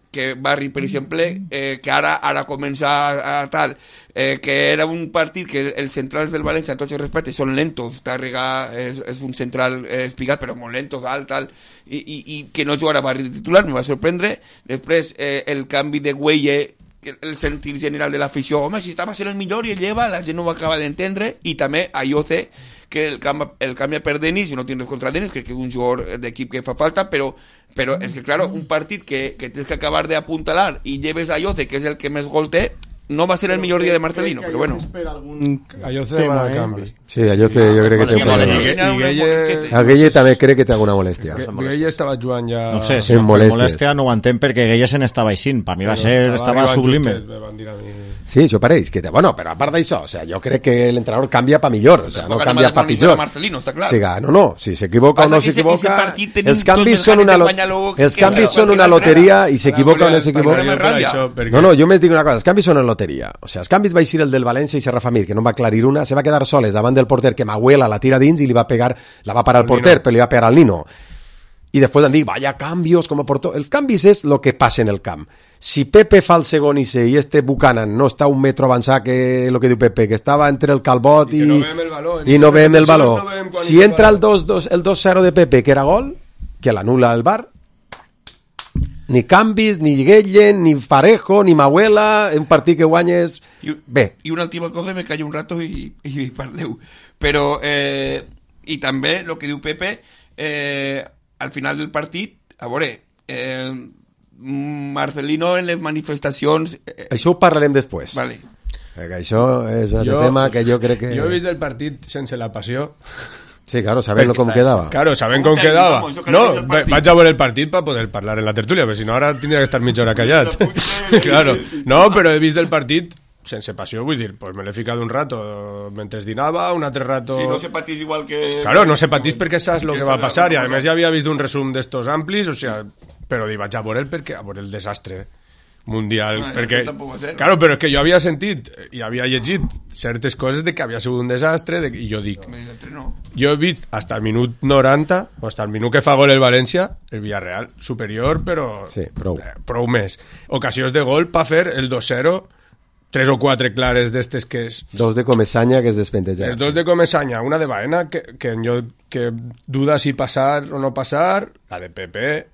que Barri, per exemple, que ara comença a tal, que era un partit que els centrals del València, en tots els respectes, són lentos. Tàrrega és un central espigat, però molt lentos, tal, i que no jugara Barri de titular, me va sorprendre. Després, el canvi de Güelle, el sentir general de l'afició, home, si estava sent el millor i el lleva, la gent no ho acaba d'entendre, i també Ayoce, que el canvia per Denis, i no tinc res contra Denis, crec que és un jugador d'equip que fa falta, però és que, claro, un partit que tens que acabar d'apuntalar i lleves Ayoce, que és el que més gol té, no va ser el millor dia de Marcelino, però bueno. Ayoce va a canvi. Sí, Ayoce jo crec que té un problema. A Gueye també crec que té alguna molèstia. Gueye estava jugant ja... No sé, si molèstia no ho entenc perquè Gueye se n'estava aixint. Per mi estava sublime. Sí, això pareix. Bueno, però a part d'això, o sea, jo crec que l'entrenador canvia pa millor, o sea, no canvia pa pitjor. O sea, no, si s'equivoca o no s'equivoca, els canvis són una loteria i s'equivoca o no s'equivoca. No, jo més dic una cosa, els canvis són una loteria. O sea, els canvis va eixir el del València i Serra Famir, que no va aclarir una, se va quedar soles davant del porter, que Mahuela la tira dins i la va parar al porter, però li va pegar al Nino. I després han dit, vaya cambios, com a portó. El canvis és el que passa en el camp. Si Pepe fa el segon i este Buchanan no està un metro avançat que el que diu Pepe, que estava entre el calbot i no veiem el valor. Si entra el 2-0 de Pepe, que era gol, que l'anula el VAR, ni canvis, ni Guellen, ni Parejo, ni Mahuela, un partit que guanyes... Bé. I una última cosa, me callo un rato i parleu. Però, i també, el que diu Pepe, al final del partit, a veure, Marcelino en les manifestacions... Això ho parlarem després. Vale. Això és un tema que jo crec que... Jo he vist el partit sense la passió. Sí, claro, sabent com quedava. Claro, sabent com quedava. No, vaig a veure el partit per poder parlar en la tertúlia, perquè si no ara tindria que estar mitja hora callat. Claro. No, però he vist el partit sense passió, vull dir, pues me l'he ficat un rato mentre dinava, un altre rato... Sí, no se patís igual que... Claro, no se patís perquè saps el que va passar, i a més ja havia vist un resum d'estos amplis, o sea, però vaig a veure el desastre mundial, perquè... Claro, però és que jo havia sentit i havia llegit certes coses de que havia sigut un desastre, i jo dic... Jo he vist hasta el minut 90, o hasta el minut que fa gol el València, el Villarreal superior, però... Sí, prou més. Ocasions de gol per fer el 2-0, 3 o 4 clares d'estes que és... 2 de Comesaña que es despenteja. Els 2 de Comesaña, una de Baena que duda si passar o no passar, la de Pepe,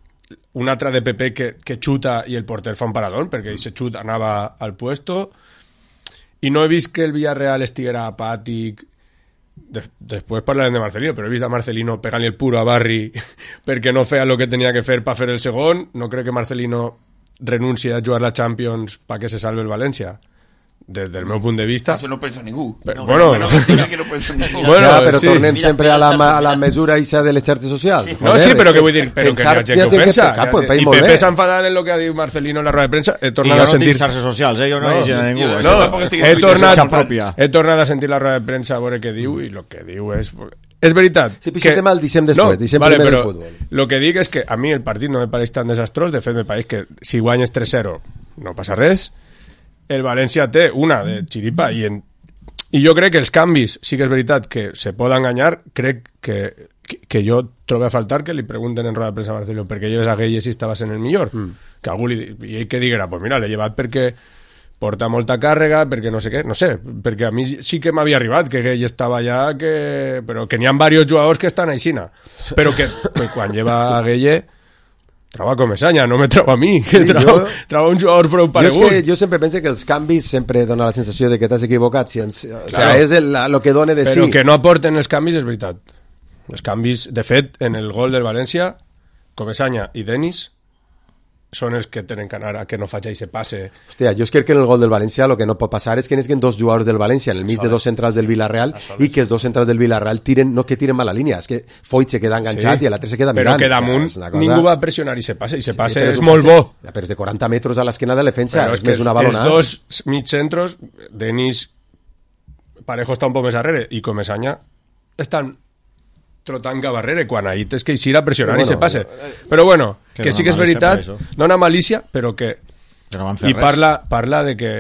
una altra de Pepe que xuta i el porter fa un paradón perquè aquest xut anava al puesto, i no he vist que el Villarreal estiguera apàtic. Després parlarem de Marcelino, però he vist a Marcelino pegant-li el puro a Barri perquè no feia el que tenia que fer per fer el segon. No crec que Marcelino renunci a jugar la Champions perquè se salve el València, des del meu punt de vista. Això no pensa ningú. Però, bueno, no pensa ningú. Bueno, ja, però sí. Tornem sempre a la mesura ixa de les xarxes socials. Sí. No, sí, però que vull dir, però que hi ha gent que ho pensa. I Pepe s'ha enfadat en el que ha dit Marcelino en la roda de premsa. He tornat a sentir... xarxes socials, jo no he dit a ningú. He tornat a sentir la roda de premsa a veure què diu, i el que diu és... És veritat. Sí, però aquest tema el deixem després, deixem primer el futbol. El que dic és que a mi el partit no me pareix tan desastrós, de fet me pareix que si guanyes 3-0 no passa res. El València té una de xiripa i jo crec que els canvis sí que és veritat que se poden enganyar. Crec que jo trobo a faltar que li pregunten en roda de premsa a Marcelo perquè lleves a Gueye si estava sent el millor, que algú i que diguera, pues mira, l'he llevat perquè porta molta càrrega, perquè no sé què, no sé, perquè a mi sí que m'havia arribat que Gueye estava allà, però que n'hi ha diversos jugadors que estan aixina, però que quan lleva a Gueye troba Comesaña, no me troba a mi, que troba un jugador prou paregut. Jo sempre penso que els canvis sempre donen la sensació de que t'has equivocat, o sea, és el que dona de sí. Però que no aporten els canvis és veritat. Els canvis, de fet, en el gol del València, Comesaña i Denis són els que tenen que anar a que no faci aquest passe. Hòstia, jo crec que en el gol del València el que no pot passar és que n'esquen dos jugadors del València en el mig de dos centrals del Villarreal i que els dos centrals del Villarreal no que tiren mala línia, és que Foyt se queda enganxat i l'altre se queda mirant. Però que damunt ningú va pressionar i se passe és molt bo. Però és de 40 metres a l'esquena de la defensa, és més una balonada. Els dos mig centros, Denis, Parejo està un poc més darrere i Comesaña estan trotant Gabarrere quan ahir tens que eixir a pressionar i se passe. Però bueno, que sí que és veritat, no una malícia, però que... I parla de que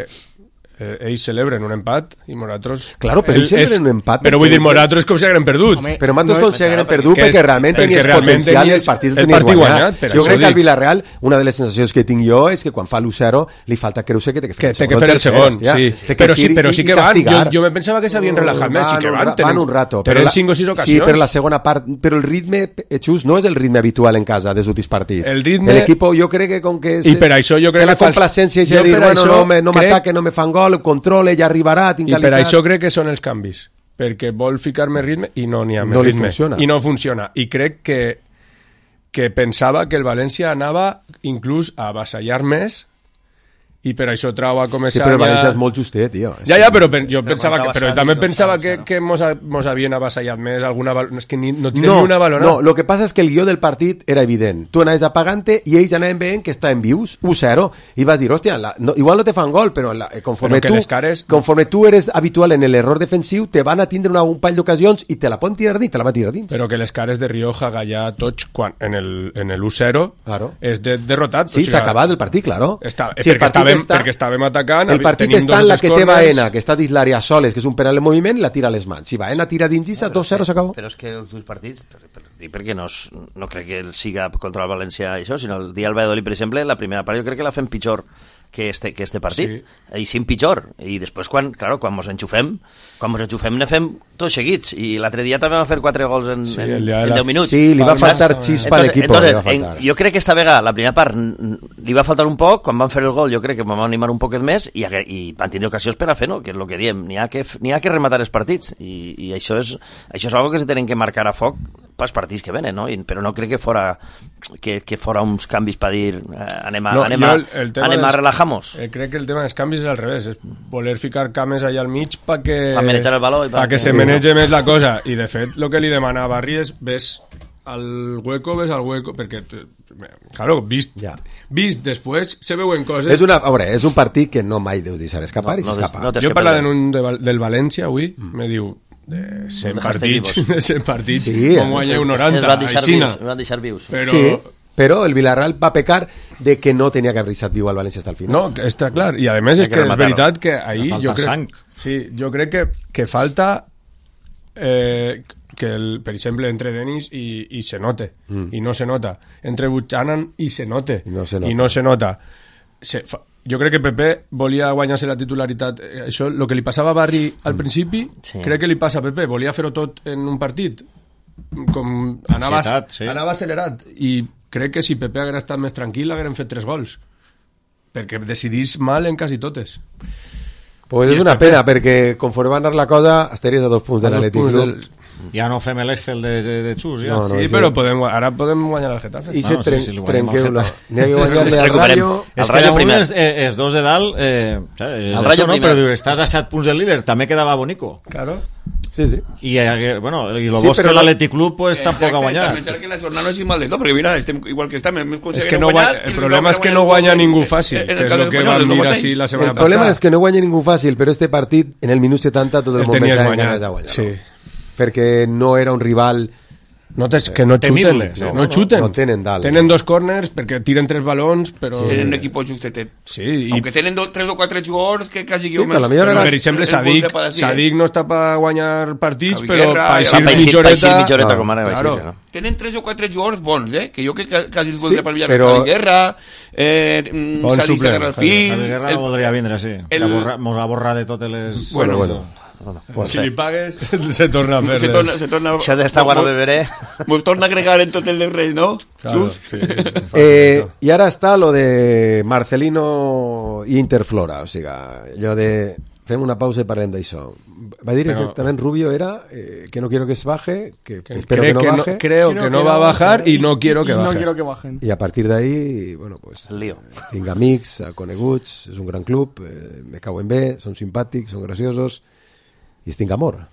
ells celebren un empat i nosaltres... Claro, però ells celebren un empat... Però vull dir, nosaltres com si haguem perdut. Però nosaltres com si haguem perdut perquè realment tenies potencial i el partit tenies guanyat. Jo crec que al Villarreal, una de les sensacions que tinc jo és que quan fa l'1-0 li falta creure que té que fer el segon. Però sí que van. Jo me pensava que s'havien relajat més, sí que van. Van un rato. Tenen 5 o 6 ocasions. Sí, però la segona part... Però el ritme, Xus, no és el ritme habitual en casa dels últims partits. L'equip jo crec que com que... I per això jo crec que... La complacència és de dir, bueno, no m'ataquen, no me fan gol, controle, ja arribarà, tinc qualitat... I per això crec que són els canvis, perquè vol ficar més ritme i no n'hi ha més ritme. I no funciona. I crec que pensava que el València anava inclús a avassallar més i per això Trau va començar... Sí, però el València és molt justet, tio. Ja, però jo pensava que... Però també pensava que mos havien avassallat més alguna... És que no tenen ni una valora. No, el que passa és que el guió del partit era evident. Tu anaves apagant-te i ells anaven veient que estaven vius, 1-0, i vas dir, hòstia, igual no te fan gol, però conforme tu eres habitual en l'error defensiu, te van a tindre un parell d'ocasions i te la poden tirar dins, te la va tirar dins. Però que les cares de Rioja, Gallà, tots, quan en el 1-0, és derrotat. Sí, s'ha acabat el partit, claro. Perquè estàvem atacant. El partit està en la que té Baena, que està dins l'àrea soles, que és un penal en moviment, i la tira a les mans. Si Baena tira dins i 2-0 s'acabó. Però és que els dos partits, perquè no crec que siga contra el València això, sinó el dia del Valladolid, per exemple, la primera part jo crec que la fem pitjor que este partit. Sí. I sim pitjor. I després, quan mos enxufem ne fem tots seguits. I l'altre dia també vam fer 4 gols en 10 minuts. Sí, li va faltar xispa a l'equip. Jo crec que esta vegada, la primera part, li va faltar un poc. Quan van fer el gol, jo crec que vam animar un poquet més i van tenir ocasions per a fer-no, que és el que diem. N'hi ha que rematar els partits. I això és algo que se tenen que marcar a foc pels partits que venen, no? Però no crec que fora uns canvis per dir anem a relajar-nos. Crec que el tema dels canvis és al revés, és voler ficar cames allà al mig perquè manejar el valor perquè se manege més la cosa. I de fet, el que li demana a Barri és ves al hueco, perquè claro, vist després se veuen coses. És un partit que no mai deus deixar escapar i s'escapa. Jo parlant del València avui, me diu de 100 partits com guanya un 90 van deixar vius. Però el Villarreal va pecar de que no tenia que haver deixat viu al València fins al final. No, està clar, i a més és que és veritat que ahir jo crec que falta per exemple entre Denis i se note i no se nota, entre Buchanan i se note i no se nota. Jo crec que Pepe volia guanyar-se la titularitat. Això, el que li passava a Barri al principi, crec que li passa a Pepe. Volia fer-ho tot en un partit. Com anava accelerat. I crec que si Pepe haguera estat més tranquil hagueren fet 3 gols. Perquè decidís mal en quasi totes. Pues és una pena, perquè conforme va anar la cosa, estaries a 2 punts de l'Atlètic Club. Ja no fem l'Excel de Xus, ja. Sí, però ara podem guanyar el Getafe. I se trenqueu-la. N'hi ha que guanyar-li al Rayo. És que llavors els dos de dalt, el Rayo no, però estàs a 7 punts del líder, també quedava bonico. Claro. Sí. I lo bo és que l'Atlètic Club tampoc ha guanyat. També que la jornada no és mal de tot, perquè mira, estem igual que estem. El problema és que no guanya ningú fàcil, que és el que vam dir així la setmana passada. El problema és que no guanya ningú fàcil, però este partit, en el minut 70, tot el món pensava en ganes de guanyar. Sí. Perquè no era un rival que no xuten, no tenen dalt. Tenen 2 corners perquè tiren 3 balons, però tenen un equip justetet. Sí, aunque tenen 3 o 4 jugadors que quasi per exemple Sadik no està per guanyar partits, però Paixir mitjoreta com ara claro. Tenen 3 o 4 jugadors bons, que jo que quasi els voldria per Javi Guerra, Sadik Serrafín. Javi Guerra voldria vindre, sí. Mos ha borrat de totes les... Bueno. Si li pagues se torna a fer això d'estar quan ho beberé mos torna a agregar en tot el de res, no? Claro, i ara està lo de Marcelino i Interflora, o sigui allò de fem una pausa i parlem d'això. Va dir exactament Rubio era que no quiero que se baje, que espero que no baje, creo que no va a bajar y no quiero que baje. Y a partir de ahí, bueno, pues tinc amics, coneguts, és un gran club, me cauen bé, són simpàtics, són graciosos y tinc amor.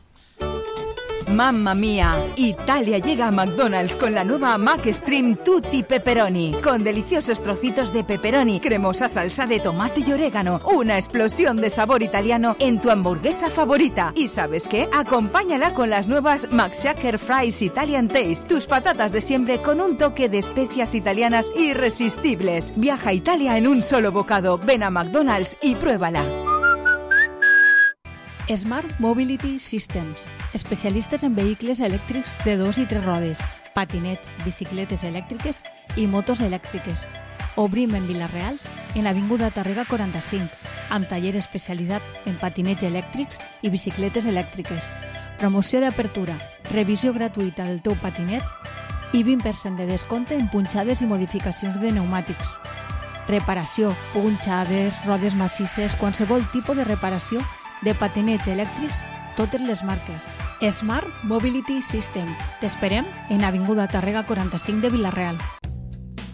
Mamma mía, Italia llega a McDonald's con la nueva McStream Tutti Pepperoni, con deliciosos trocitos de pepperoni, cremosa salsa de tomate y orégano, una explosión de sabor italiano en tu hamburguesa favorita. ¿Y sabes qué? Acompáñala con las nuevas McShaker Fries Italian Taste, tus patatas de siempre con un toque de especias italianas irresistibles. Viaja a Italia en un solo bocado, ven a McDonald's y pruébala. Smart Mobility Systems, especialistes en vehicles elèctrics de 2 i 3 rodes, patinets, bicicletes elèctriques i motos elèctriques. Obrim en Vila-real, en Avinguda Tàrrega 45, amb taller especialitzat en patinets elèctrics i bicicletes elèctriques. Promoció d'apertura, revisió gratuïta del teu patinet i 20% de descompte en punxades i modificacions de pneumàtics. Reparació, punxades, rodes massisses, qualsevol tipus de reparació de patinets elèctrics, totes les marques. Smart Mobility System. T'esperem en Avinguda Tàrrega 45 de Vila-real.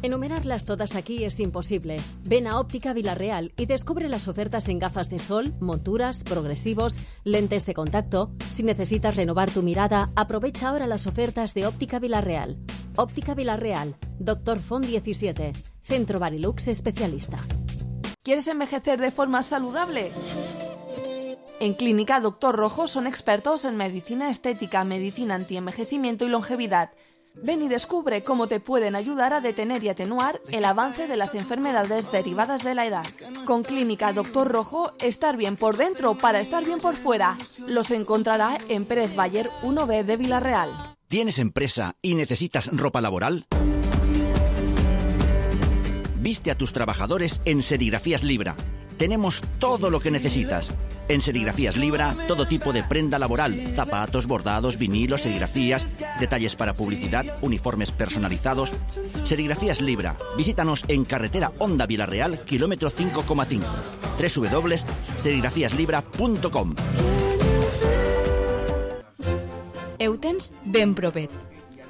Enumerarlas todas aquí es imposible. Ven a Óptica Vila-real y descubre las ofertas en gafas de sol, monturas, progresivos, lentes de contacto. Si necesitas renovar tu mirada, aprovecha ahora las ofertas de Óptica Vila-real. Óptica Vila-real, Dr. Font 17, Centro Barilux especialista. ¿Quieres envejecer de forma saludable? En Clínica Dr. Rojo son expertos en medicina estética, medicina antienvejecimiento y longevidad. Ven y descubre cómo te pueden ayudar a detener y atenuar el avance de las enfermedades derivadas de la edad. Con Clínica Dr. Rojo, estar bien por dentro para estar bien por fuera. Los encontrará en Pérez Bayer 1B de Vila-real. ¿Tienes empresa y necesitas ropa laboral? Viste a tus trabajadores en Serigrafías Libra. Tenemos todo lo que necesitas. En Serigrafías Libra, todo tipo de prenda laboral, zapatos, bordados, vinilos, serigrafías, detalles para publicidad, uniformes personalizados. Serigrafías Libra. Visítanos en carretera Honda Vila-real, kilómetro 5,5. www.serigrafiaslibra.com. Ho tens ben propet.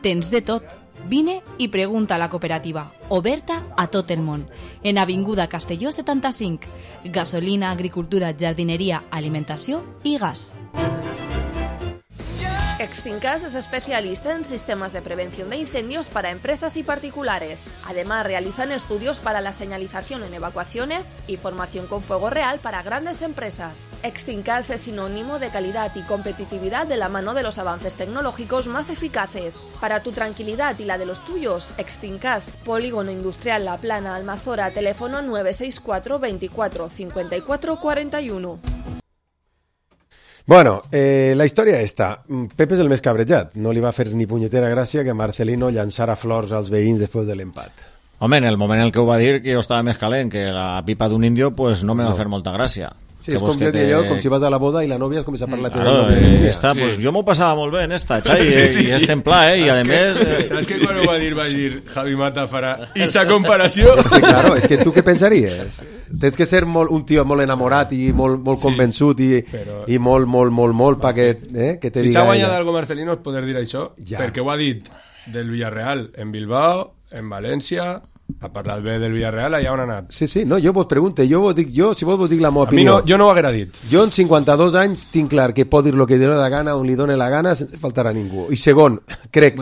Tens de tot. Vine i pregunta a la cooperativa, oberta a tot el món. En Avinguda Castelló 75, gasolina, agricultura, jardineria, alimentació i gas. Extincas es especialista en sistemas de prevención de incendios para empresas y particulares. Además, realizan estudios para la señalización en evacuaciones y formación con fuego real para grandes empresas. Extincas es sinónimo de calidad y competitividad de la mano de los avances tecnológicos más eficaces. Para tu tranquilidad y la de los tuyos, Extincas, Polígono Industrial La Plana, Almazora, teléfono 964 24 54 41. Bueno, la història esta. Pepe és el més cabrejat. No li va fer ni punyetera gràcia que Marcelino llançara flors als veïns després de l'empat. Home, en el moment en què ho va dir, que jo estava més calent que la pipa d'un indio, pues no me va fer molta gràcia. Sí, és com jo deia jo, com si vas a la boda i la nòvia es comença a parlar claro, pues jo m'ho passava molt bé en esta, Xai, i és templar, i a més... Saps que quan ho va dir Javi Mata farà esa comparació? És que, claro, és que tu què pensaries? Tens que ser un tio molt enamorat i molt convençut i molt perquè que te diga... Si s'ha guanyat algo Marcelino és poder dir això, perquè ho ha dit del Villarreal en Bilbao, en València... Ha parlat bé del Villarreal, allà on ha anat. Sí, no, jo vos pregunto, si vos dic la meva opinió. Jo no ho haguera dit. Jo en 52 anys tinc clar que pot dir el que li dóna la gana, on li dóna la gana, sense faltar a ningú. I segon, crec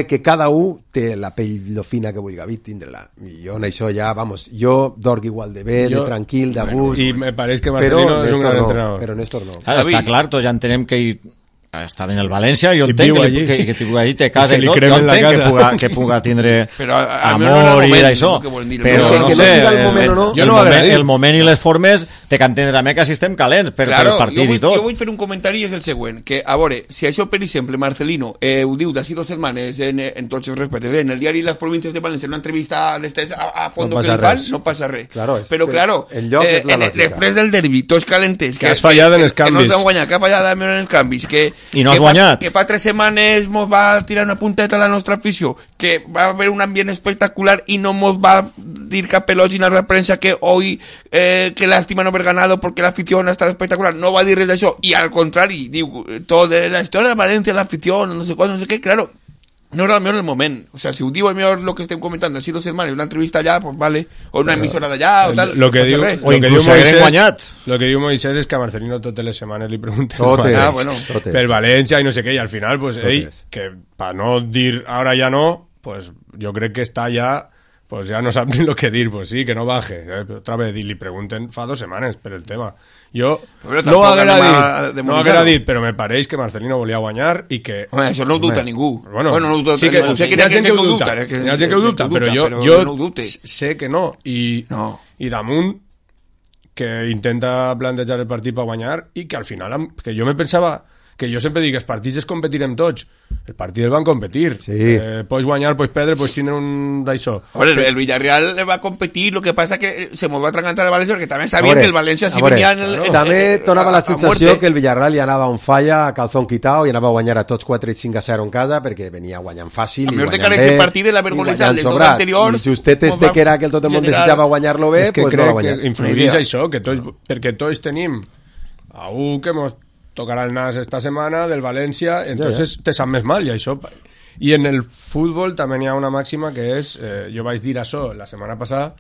que cada un té la pell lo fina que vulgui tindre-la. I jo en això ja, jo dorg igual de bé, de tranquil, de gust. I me pareix que Marcelino és un gran entrenador. Però Néstor no. Està clar, tots ja entenem que està en el València, jo entenc que allí té casa i tot, jo entenc que puga tindre amor i d'això, però no sé, el moment i les formes té que entendre també que si estem calents per partit i tot. Jo vull fer un comentari, és el següent, que a veure, si això per exemple Marcelino ho diu d'ací 2 setmanes en tots els respectes, en el diari Les Províncies de València, en una entrevista d'estes a fondo que li fan, no passa res, però claro, després del derbi, tots calentes, que has fallat en els canvis, que no s'han guanyat, que ha fallat en els canvis, i no has guanyat. Que fa 3 setmanes mos va tirar una punteta a la nostra afició, que va haver un ambient espectacular i no mos va dir cap elogi en la premsa que hoy que lástima no haber ganado porque la afición ha estado espectacular, no va a dir res d'això, i al contrari, diu, tota la història de València, la afición, no sé què, claro, no era el millor el moment, o sea, si ho diu el millor lo que estem comentant, així 2 setmanes, una entrevista allà, pues vale, o una emissora d'allà, o tal, lo que diu Moisés és que a Marcelino totes les setmanes li pregunten per València i no sé què, i al final, pues, que per no dir ara ja no, pues jo crec que està ja, pues ja no sap ni lo que dir, pues sí, que no baje, otra vez, li pregunten fa 2 setmanes per el tema. Jo no ho haguera dit, però me pareix que Marcelino volia guanyar i que... Home, això no ho dubta ningú. Bueno, sí que hi ha gent que ho dubta, però jo sé que no. I damunt que intenta plantejar el partit per guanyar i que al final, que jo me pensava que jo sempre dic que els partits es competirem tots. El partit el van competir. Sí. Pots guanyar, pots perdre, pots tindre un d'això. El Villarreal va a competir, lo que pasa que se me va a atragantar el Valencia, porque también sabían que el Valencia sí venía també donava la sensació que el Villarreal ja anava on falla, a calzón quitao, i anava a guanyar a tots 4-5-0 en casa, perquè venia guanyant fàcil i guanyant bé, partit de la vergonesa del tot anterior. I justet que era que el tot el món desitjava guanyar-lo bé, és que pues no va guanyar. Que influïx això, que perquè tots tenim a un que mos tocarà el nas esta setmana del València, entonces te sap més mal, i això. I en el futbol també hi ha una màxima que és, jo vaig dir això la setmana passada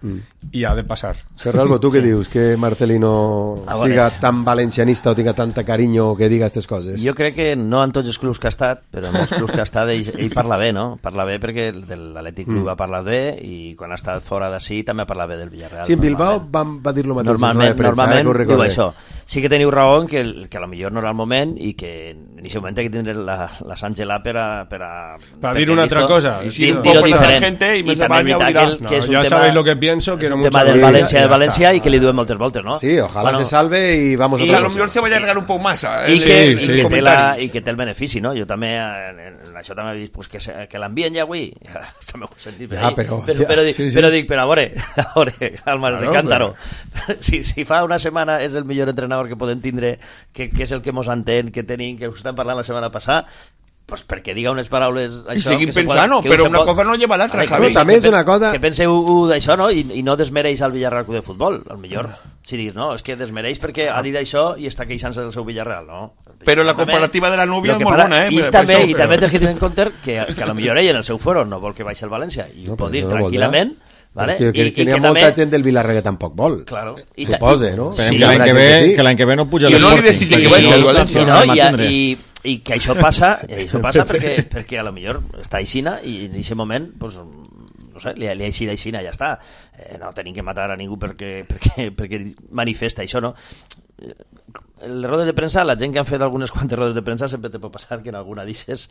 i ha de passar. Serralvo, tu què dius? Que Marcelino siga tan valencianista o tinga tanta carinyo que diga aquestes coses? Jo crec que no en tots els clubs que ha estat, però en molts clubs que ha estat ell parla bé, no? Parla bé perquè l'Atlètic Club ha parlat bé i quan ha estat fora d'ací també ha parlat bé del Villarreal. Sí, en Bilbao va dir lo mateix. Normalment diu això. Sí que teniu raó que a lo millor no era el moment i que en aquest moment hay que tindre la sang gelada per a dir una altra cosa. Dir-ho diferent. I també evitar que és un ya sabéis lo que pienso, que era un tema del València i que li duem moltes voltes, ¿no? Sí, ojalá se salve y vamos a lo mejor se vaya a alargar un poco más. I que té el benefici, no? Jo també, això també he vist que l'envien ja avui. També ho he sentit. Però dic, però a veure, Almas de Cántaro. Si fa una setmana és el millor entrenador que podem tindre, que és el que mos entén, que tenim, que ho estem parlant la setmana passada, pues perquè diga unes paraules això, seguim pensant, però una cosa no lleva l'altra, Javi. També és una cosa que penseu d'això, no? I no desmereix al Villarreal Club de Futbol, al millor si diguis, no, és que desmereix perquè ha dit això i està queixant-se del seu Villarreal, no? Però la comparativa de la núvia és molt bona, i també tens que tenir en compte que a lo millor ell en el seu foro no vol que baixi el València i ho pot dir tranquil·lament. Vale? Que n'hi ha molta gent del Villarreal que tampoc vol, suposa, no? Sí, que l'any que ve no puja l'Esporting. No li desitja que vagi al València. I que això passa perquè a lo millor està aixina i en aquest moment pues, no sé, li ha eixit aixina i ja està, no tenim que matar a ningú perquè manifesta això, no? Les rodes de premsa, la gent que han fet algunes quantes rodes de premsa sempre te pot passar que en alguna d'ixes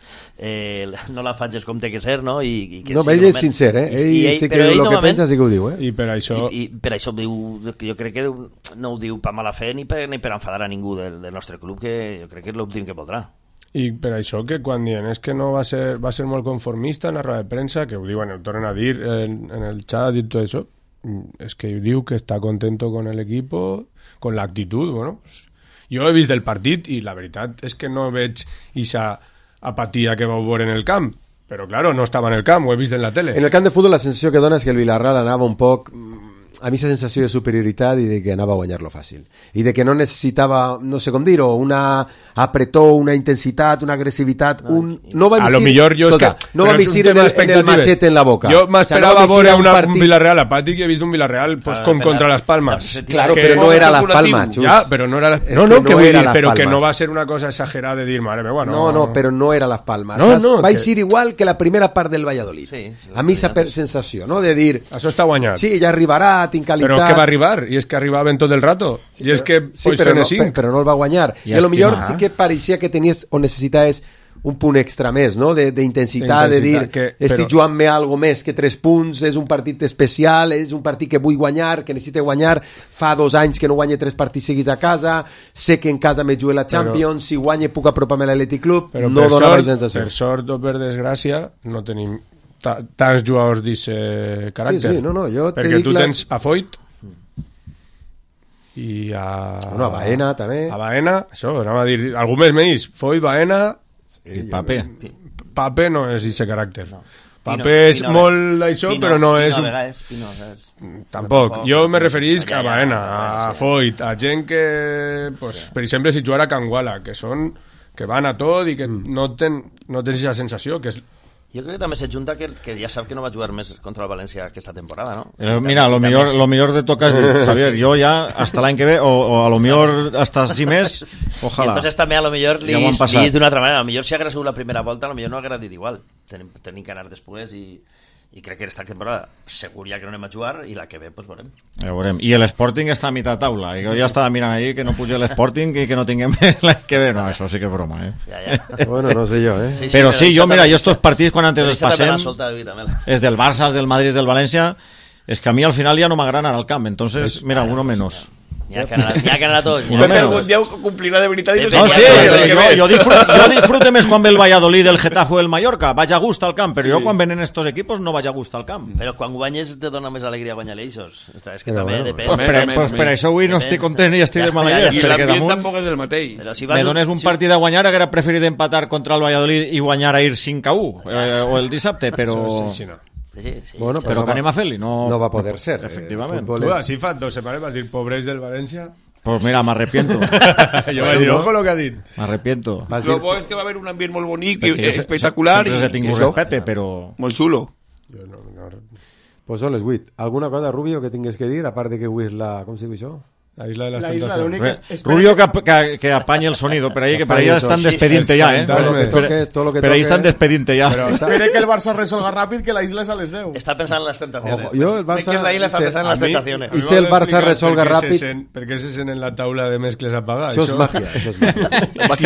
no la faig com té que ser, no? No, ell és sincer, ell sí que el que pensa sí que ho diu, I per això diu, jo crec que no ho diu per mala fe ni per enfadar a ningú del nostre club, que jo crec que és l'últim que voldrà. I per això que quan diuen és que no va ser molt conformista en la roda de premsa, que ho diuen, ho tornen a dir en el chat i tot això, és que diu que està contento con el equipo, con la actitud, bueno, pues, jo he vist el partit i la veritat és que no veig aquesta apatia que vau veure en el camp, però claro, no estava en el camp, ho he vist en la tele. En el camp de futbol la sensació que dona és que el Villarreal anava un poc a mi aquesta sensació de superioritat i de que anava a guanyar-lo fàcil i de que no necessitava, no sé com dir-ho, una apretó, una intensitat, una agressivitat, no va visir en el machete en la boca. Jo m'esperava veure un Villarreal apàtic i he vist un Villarreal com contra les Palmes. Claro, però no era las Palmas, Xus. Ja, però no era las però que no va ser una cosa exagerada de dir, mare meva, no. No, però no era las Palmas. Va ser igual que la primera part del Valladolid. A mi esa sensació, no? De dir... Això està guanyat. Sí, ja arribarà, tinc qualitat... Però que va arribar, i és que arribaven tot el rato, i és que però no el va guanyar, i a lo millor sí que pareixia que tenies o necessitaves un punt extra més, no? D'intensitat, de dir, estic jugant-me algo més que 3 punts, és un partit especial, és un partit que vull guanyar, que necessito guanyar, fa 2 anys que no guanye 3 partits seguits a casa, sé que en casa me jugue la Champions, si guanye puc apropar-me a l'Atlètic Club, no dona la sensació. Per sort o per desgràcia, no tenim tants jugadors d'aquest caràcter. Perquè tu tens a Foyt i a Baena també. A Baena, això, anava a dir algú més, Foyt, Baena i Pape. Pape no és d'aquest caràcter. Pape és molt d'això, però no és... Tampoc. Jo me referisc a Baena, a Foyt, a gent que, per exemple, si jugara a Canguala, que van a tot i que no tens aquesta sensació, que és... Jo crec que també s'ajunta que ja sap que no va jugar més contra el València aquesta temporada, ¿no? Mira, lo millor te toca, Javier, yo ya hasta l'any que ve, o a lo millor hasta si més, ojalá. I entonces també a lo millor li és d'una altra manera, a lo millor si hagués sigut la primera volta, a lo millor no hagués dit igual. Tenim que anar després i crec que aquesta temporada segur ja que no anem a jugar i la que ve, pues veurem. I l'Sporting està a mitad taula i jo ja estava mirant ahí que no puja l'Sporting i que no tinguem l'any que ve, no, això sí que és broma, Bueno, no sé jo, Però sí, jo, mira, jo estos partits quan antes els passem és del Barça, és del Madrid, és del València, és que a mi al final ja no m'agrada anar al camp, entonces, mira, uno menos. N'hi ha que anar a tots. Pepe algun dia ho complirà de veritat. No, sí, jo disfrute més quan ve el Valladolid, el Getafe o el Mallorca. Vaig a gust al camp, però jo quan venen estos equipos no vaig a gust al camp. Però quan guanyes te dona més alegria guanyar ells. És que també depèn. Pues per això avui no estic content i estic de mala llet. I l'ambient tampoc és el mateix. Me dones un partit a guanyar, haguera preferit empatar contra el Valladolid i guanyar a ir 5-1 o el dissabte, però... Bueno, però que anem a fer-li, no va poder ser. Efectivament. Tu, així fa 2 setmanes vas dir pobres del València. Pues mira, m'arrepiento. Jo vaig dir, ojo lo que ha dit. M'arrepiento. Lo bo és que va haver un ambient molt bonic i espectacular. Sempre s'ha tingut respecte, però... Molt xulo. Pues són les 8. Alguna cosa, Rubio, que tingues que dir, a part de que avui és la... Com se diu això? La isla de las tentaciones. Rubio que apañe el sonido, pero ahí que para allá están despediente ya, ¿eh? Pero ahí están despediente ya. Espere que el Barça resolga rápido, que la isla es a les 10. Está pensando en las tentaciones. Yo el Barça... Que la isla està pensant en les tentaciones. I si el Barça resolga ràpid... Per què se sent en la taula de mescles apagades? Això és màgia, això és màgia.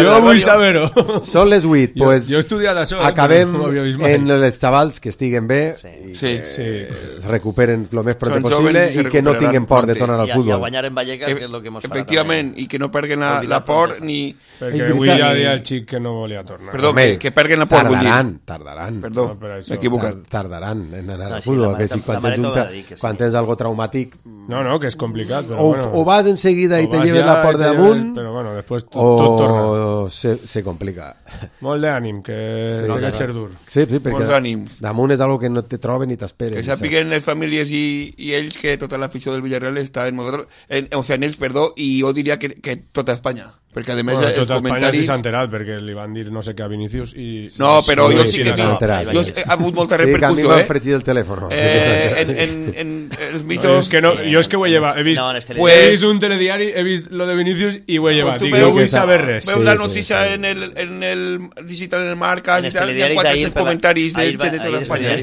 Jo vull saber-ho. Són les 8, pues... Jo he estudiat això. Acabem en els xavals que estiguen bé i que es recuperen el més pronto possible i que no tinguin por de tornar al futbol. I a guanyar en Vallecas, que és el que mos farà. Efectivament, i que no perguen la por ni... Perquè avui ja dia el xic que no volia tornar. Perdó, que perguen la por. Tardaran. Perdó, m'he equivocat. Tardaran en anar al futbol. Quan tens algo traumàtic... No, que és complicat. O vas enseguida i te lleves la por de damunt, però bueno, després tot torna. O se complica. Molt d'ànim, que ha de ser dur. Sí, perquè damunt és algo que no te troben ni t'esperen. Que sàpiguen les famílies i ells que tota l'afició del Villarreal està en ells, perdó, i jo diria que tota Espanya, perquè a més els tota comentaris... Espanya sí s'ha enterat, perquè li van dir no sé què a Vinícius i... No, però jo sí que he hagut molta repercussió, Sí, que a mi m'han fregit el telèfon. En els mitjos... Jo és que ho he llevat, he vist un telediari, he vist lo de Vinícius i ho he llevat, i no vull saber res. Veu la notícia en el digital, en el Marca, i tal, hi ha 400 comentaris de gent de tota Espanya.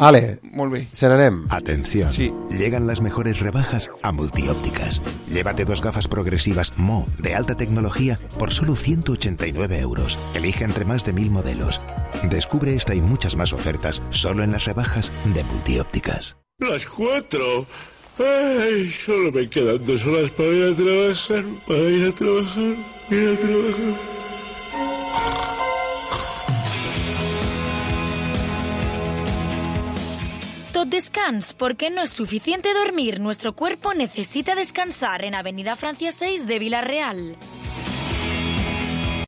Vale, molt bé. Se n'anem. Atención, llegan las mejores rebajas a Multiópticas. Llévate 2 gafas progresivas Mo de alta tecnología por solo 189 euros. Elige entre más de 1000 modelos. Descubre esta y muchas más ofertas solo en las rebajas de Multiópticas. Las 4. Ay, solo me quedan 2 horas para ir a trabajar. Tot descans, porque no es suficiente dormir. Nuestro cuerpo necesita descansar en Avenida Francia 6 de Villarreal.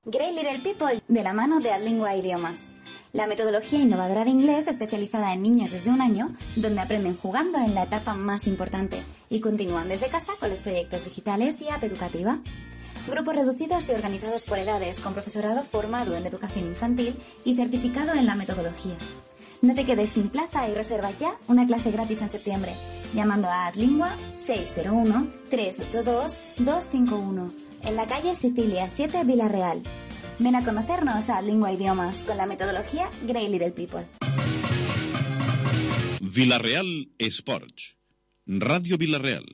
Great Little People, de la mano de Adlingua Idiomas. La metodología innovadora de inglés especializada en niños desde 1 año, donde aprenden jugando en la etapa más importante y continúan desde casa con los proyectos digitales y app educativa. Grupos reducidos y organizados por edades, con profesorado formado en educación infantil y certificado en la metodología. No te quedes sin plaza y reserva ya una clase gratis en septiembre, llamando a Adlingua 601-382-251, en la calle Sicilia 7, Villarreal. Ven a conocernos a Adlingua Idiomas con la metodología Great Little People. Villarreal Esports. Radio Villarreal.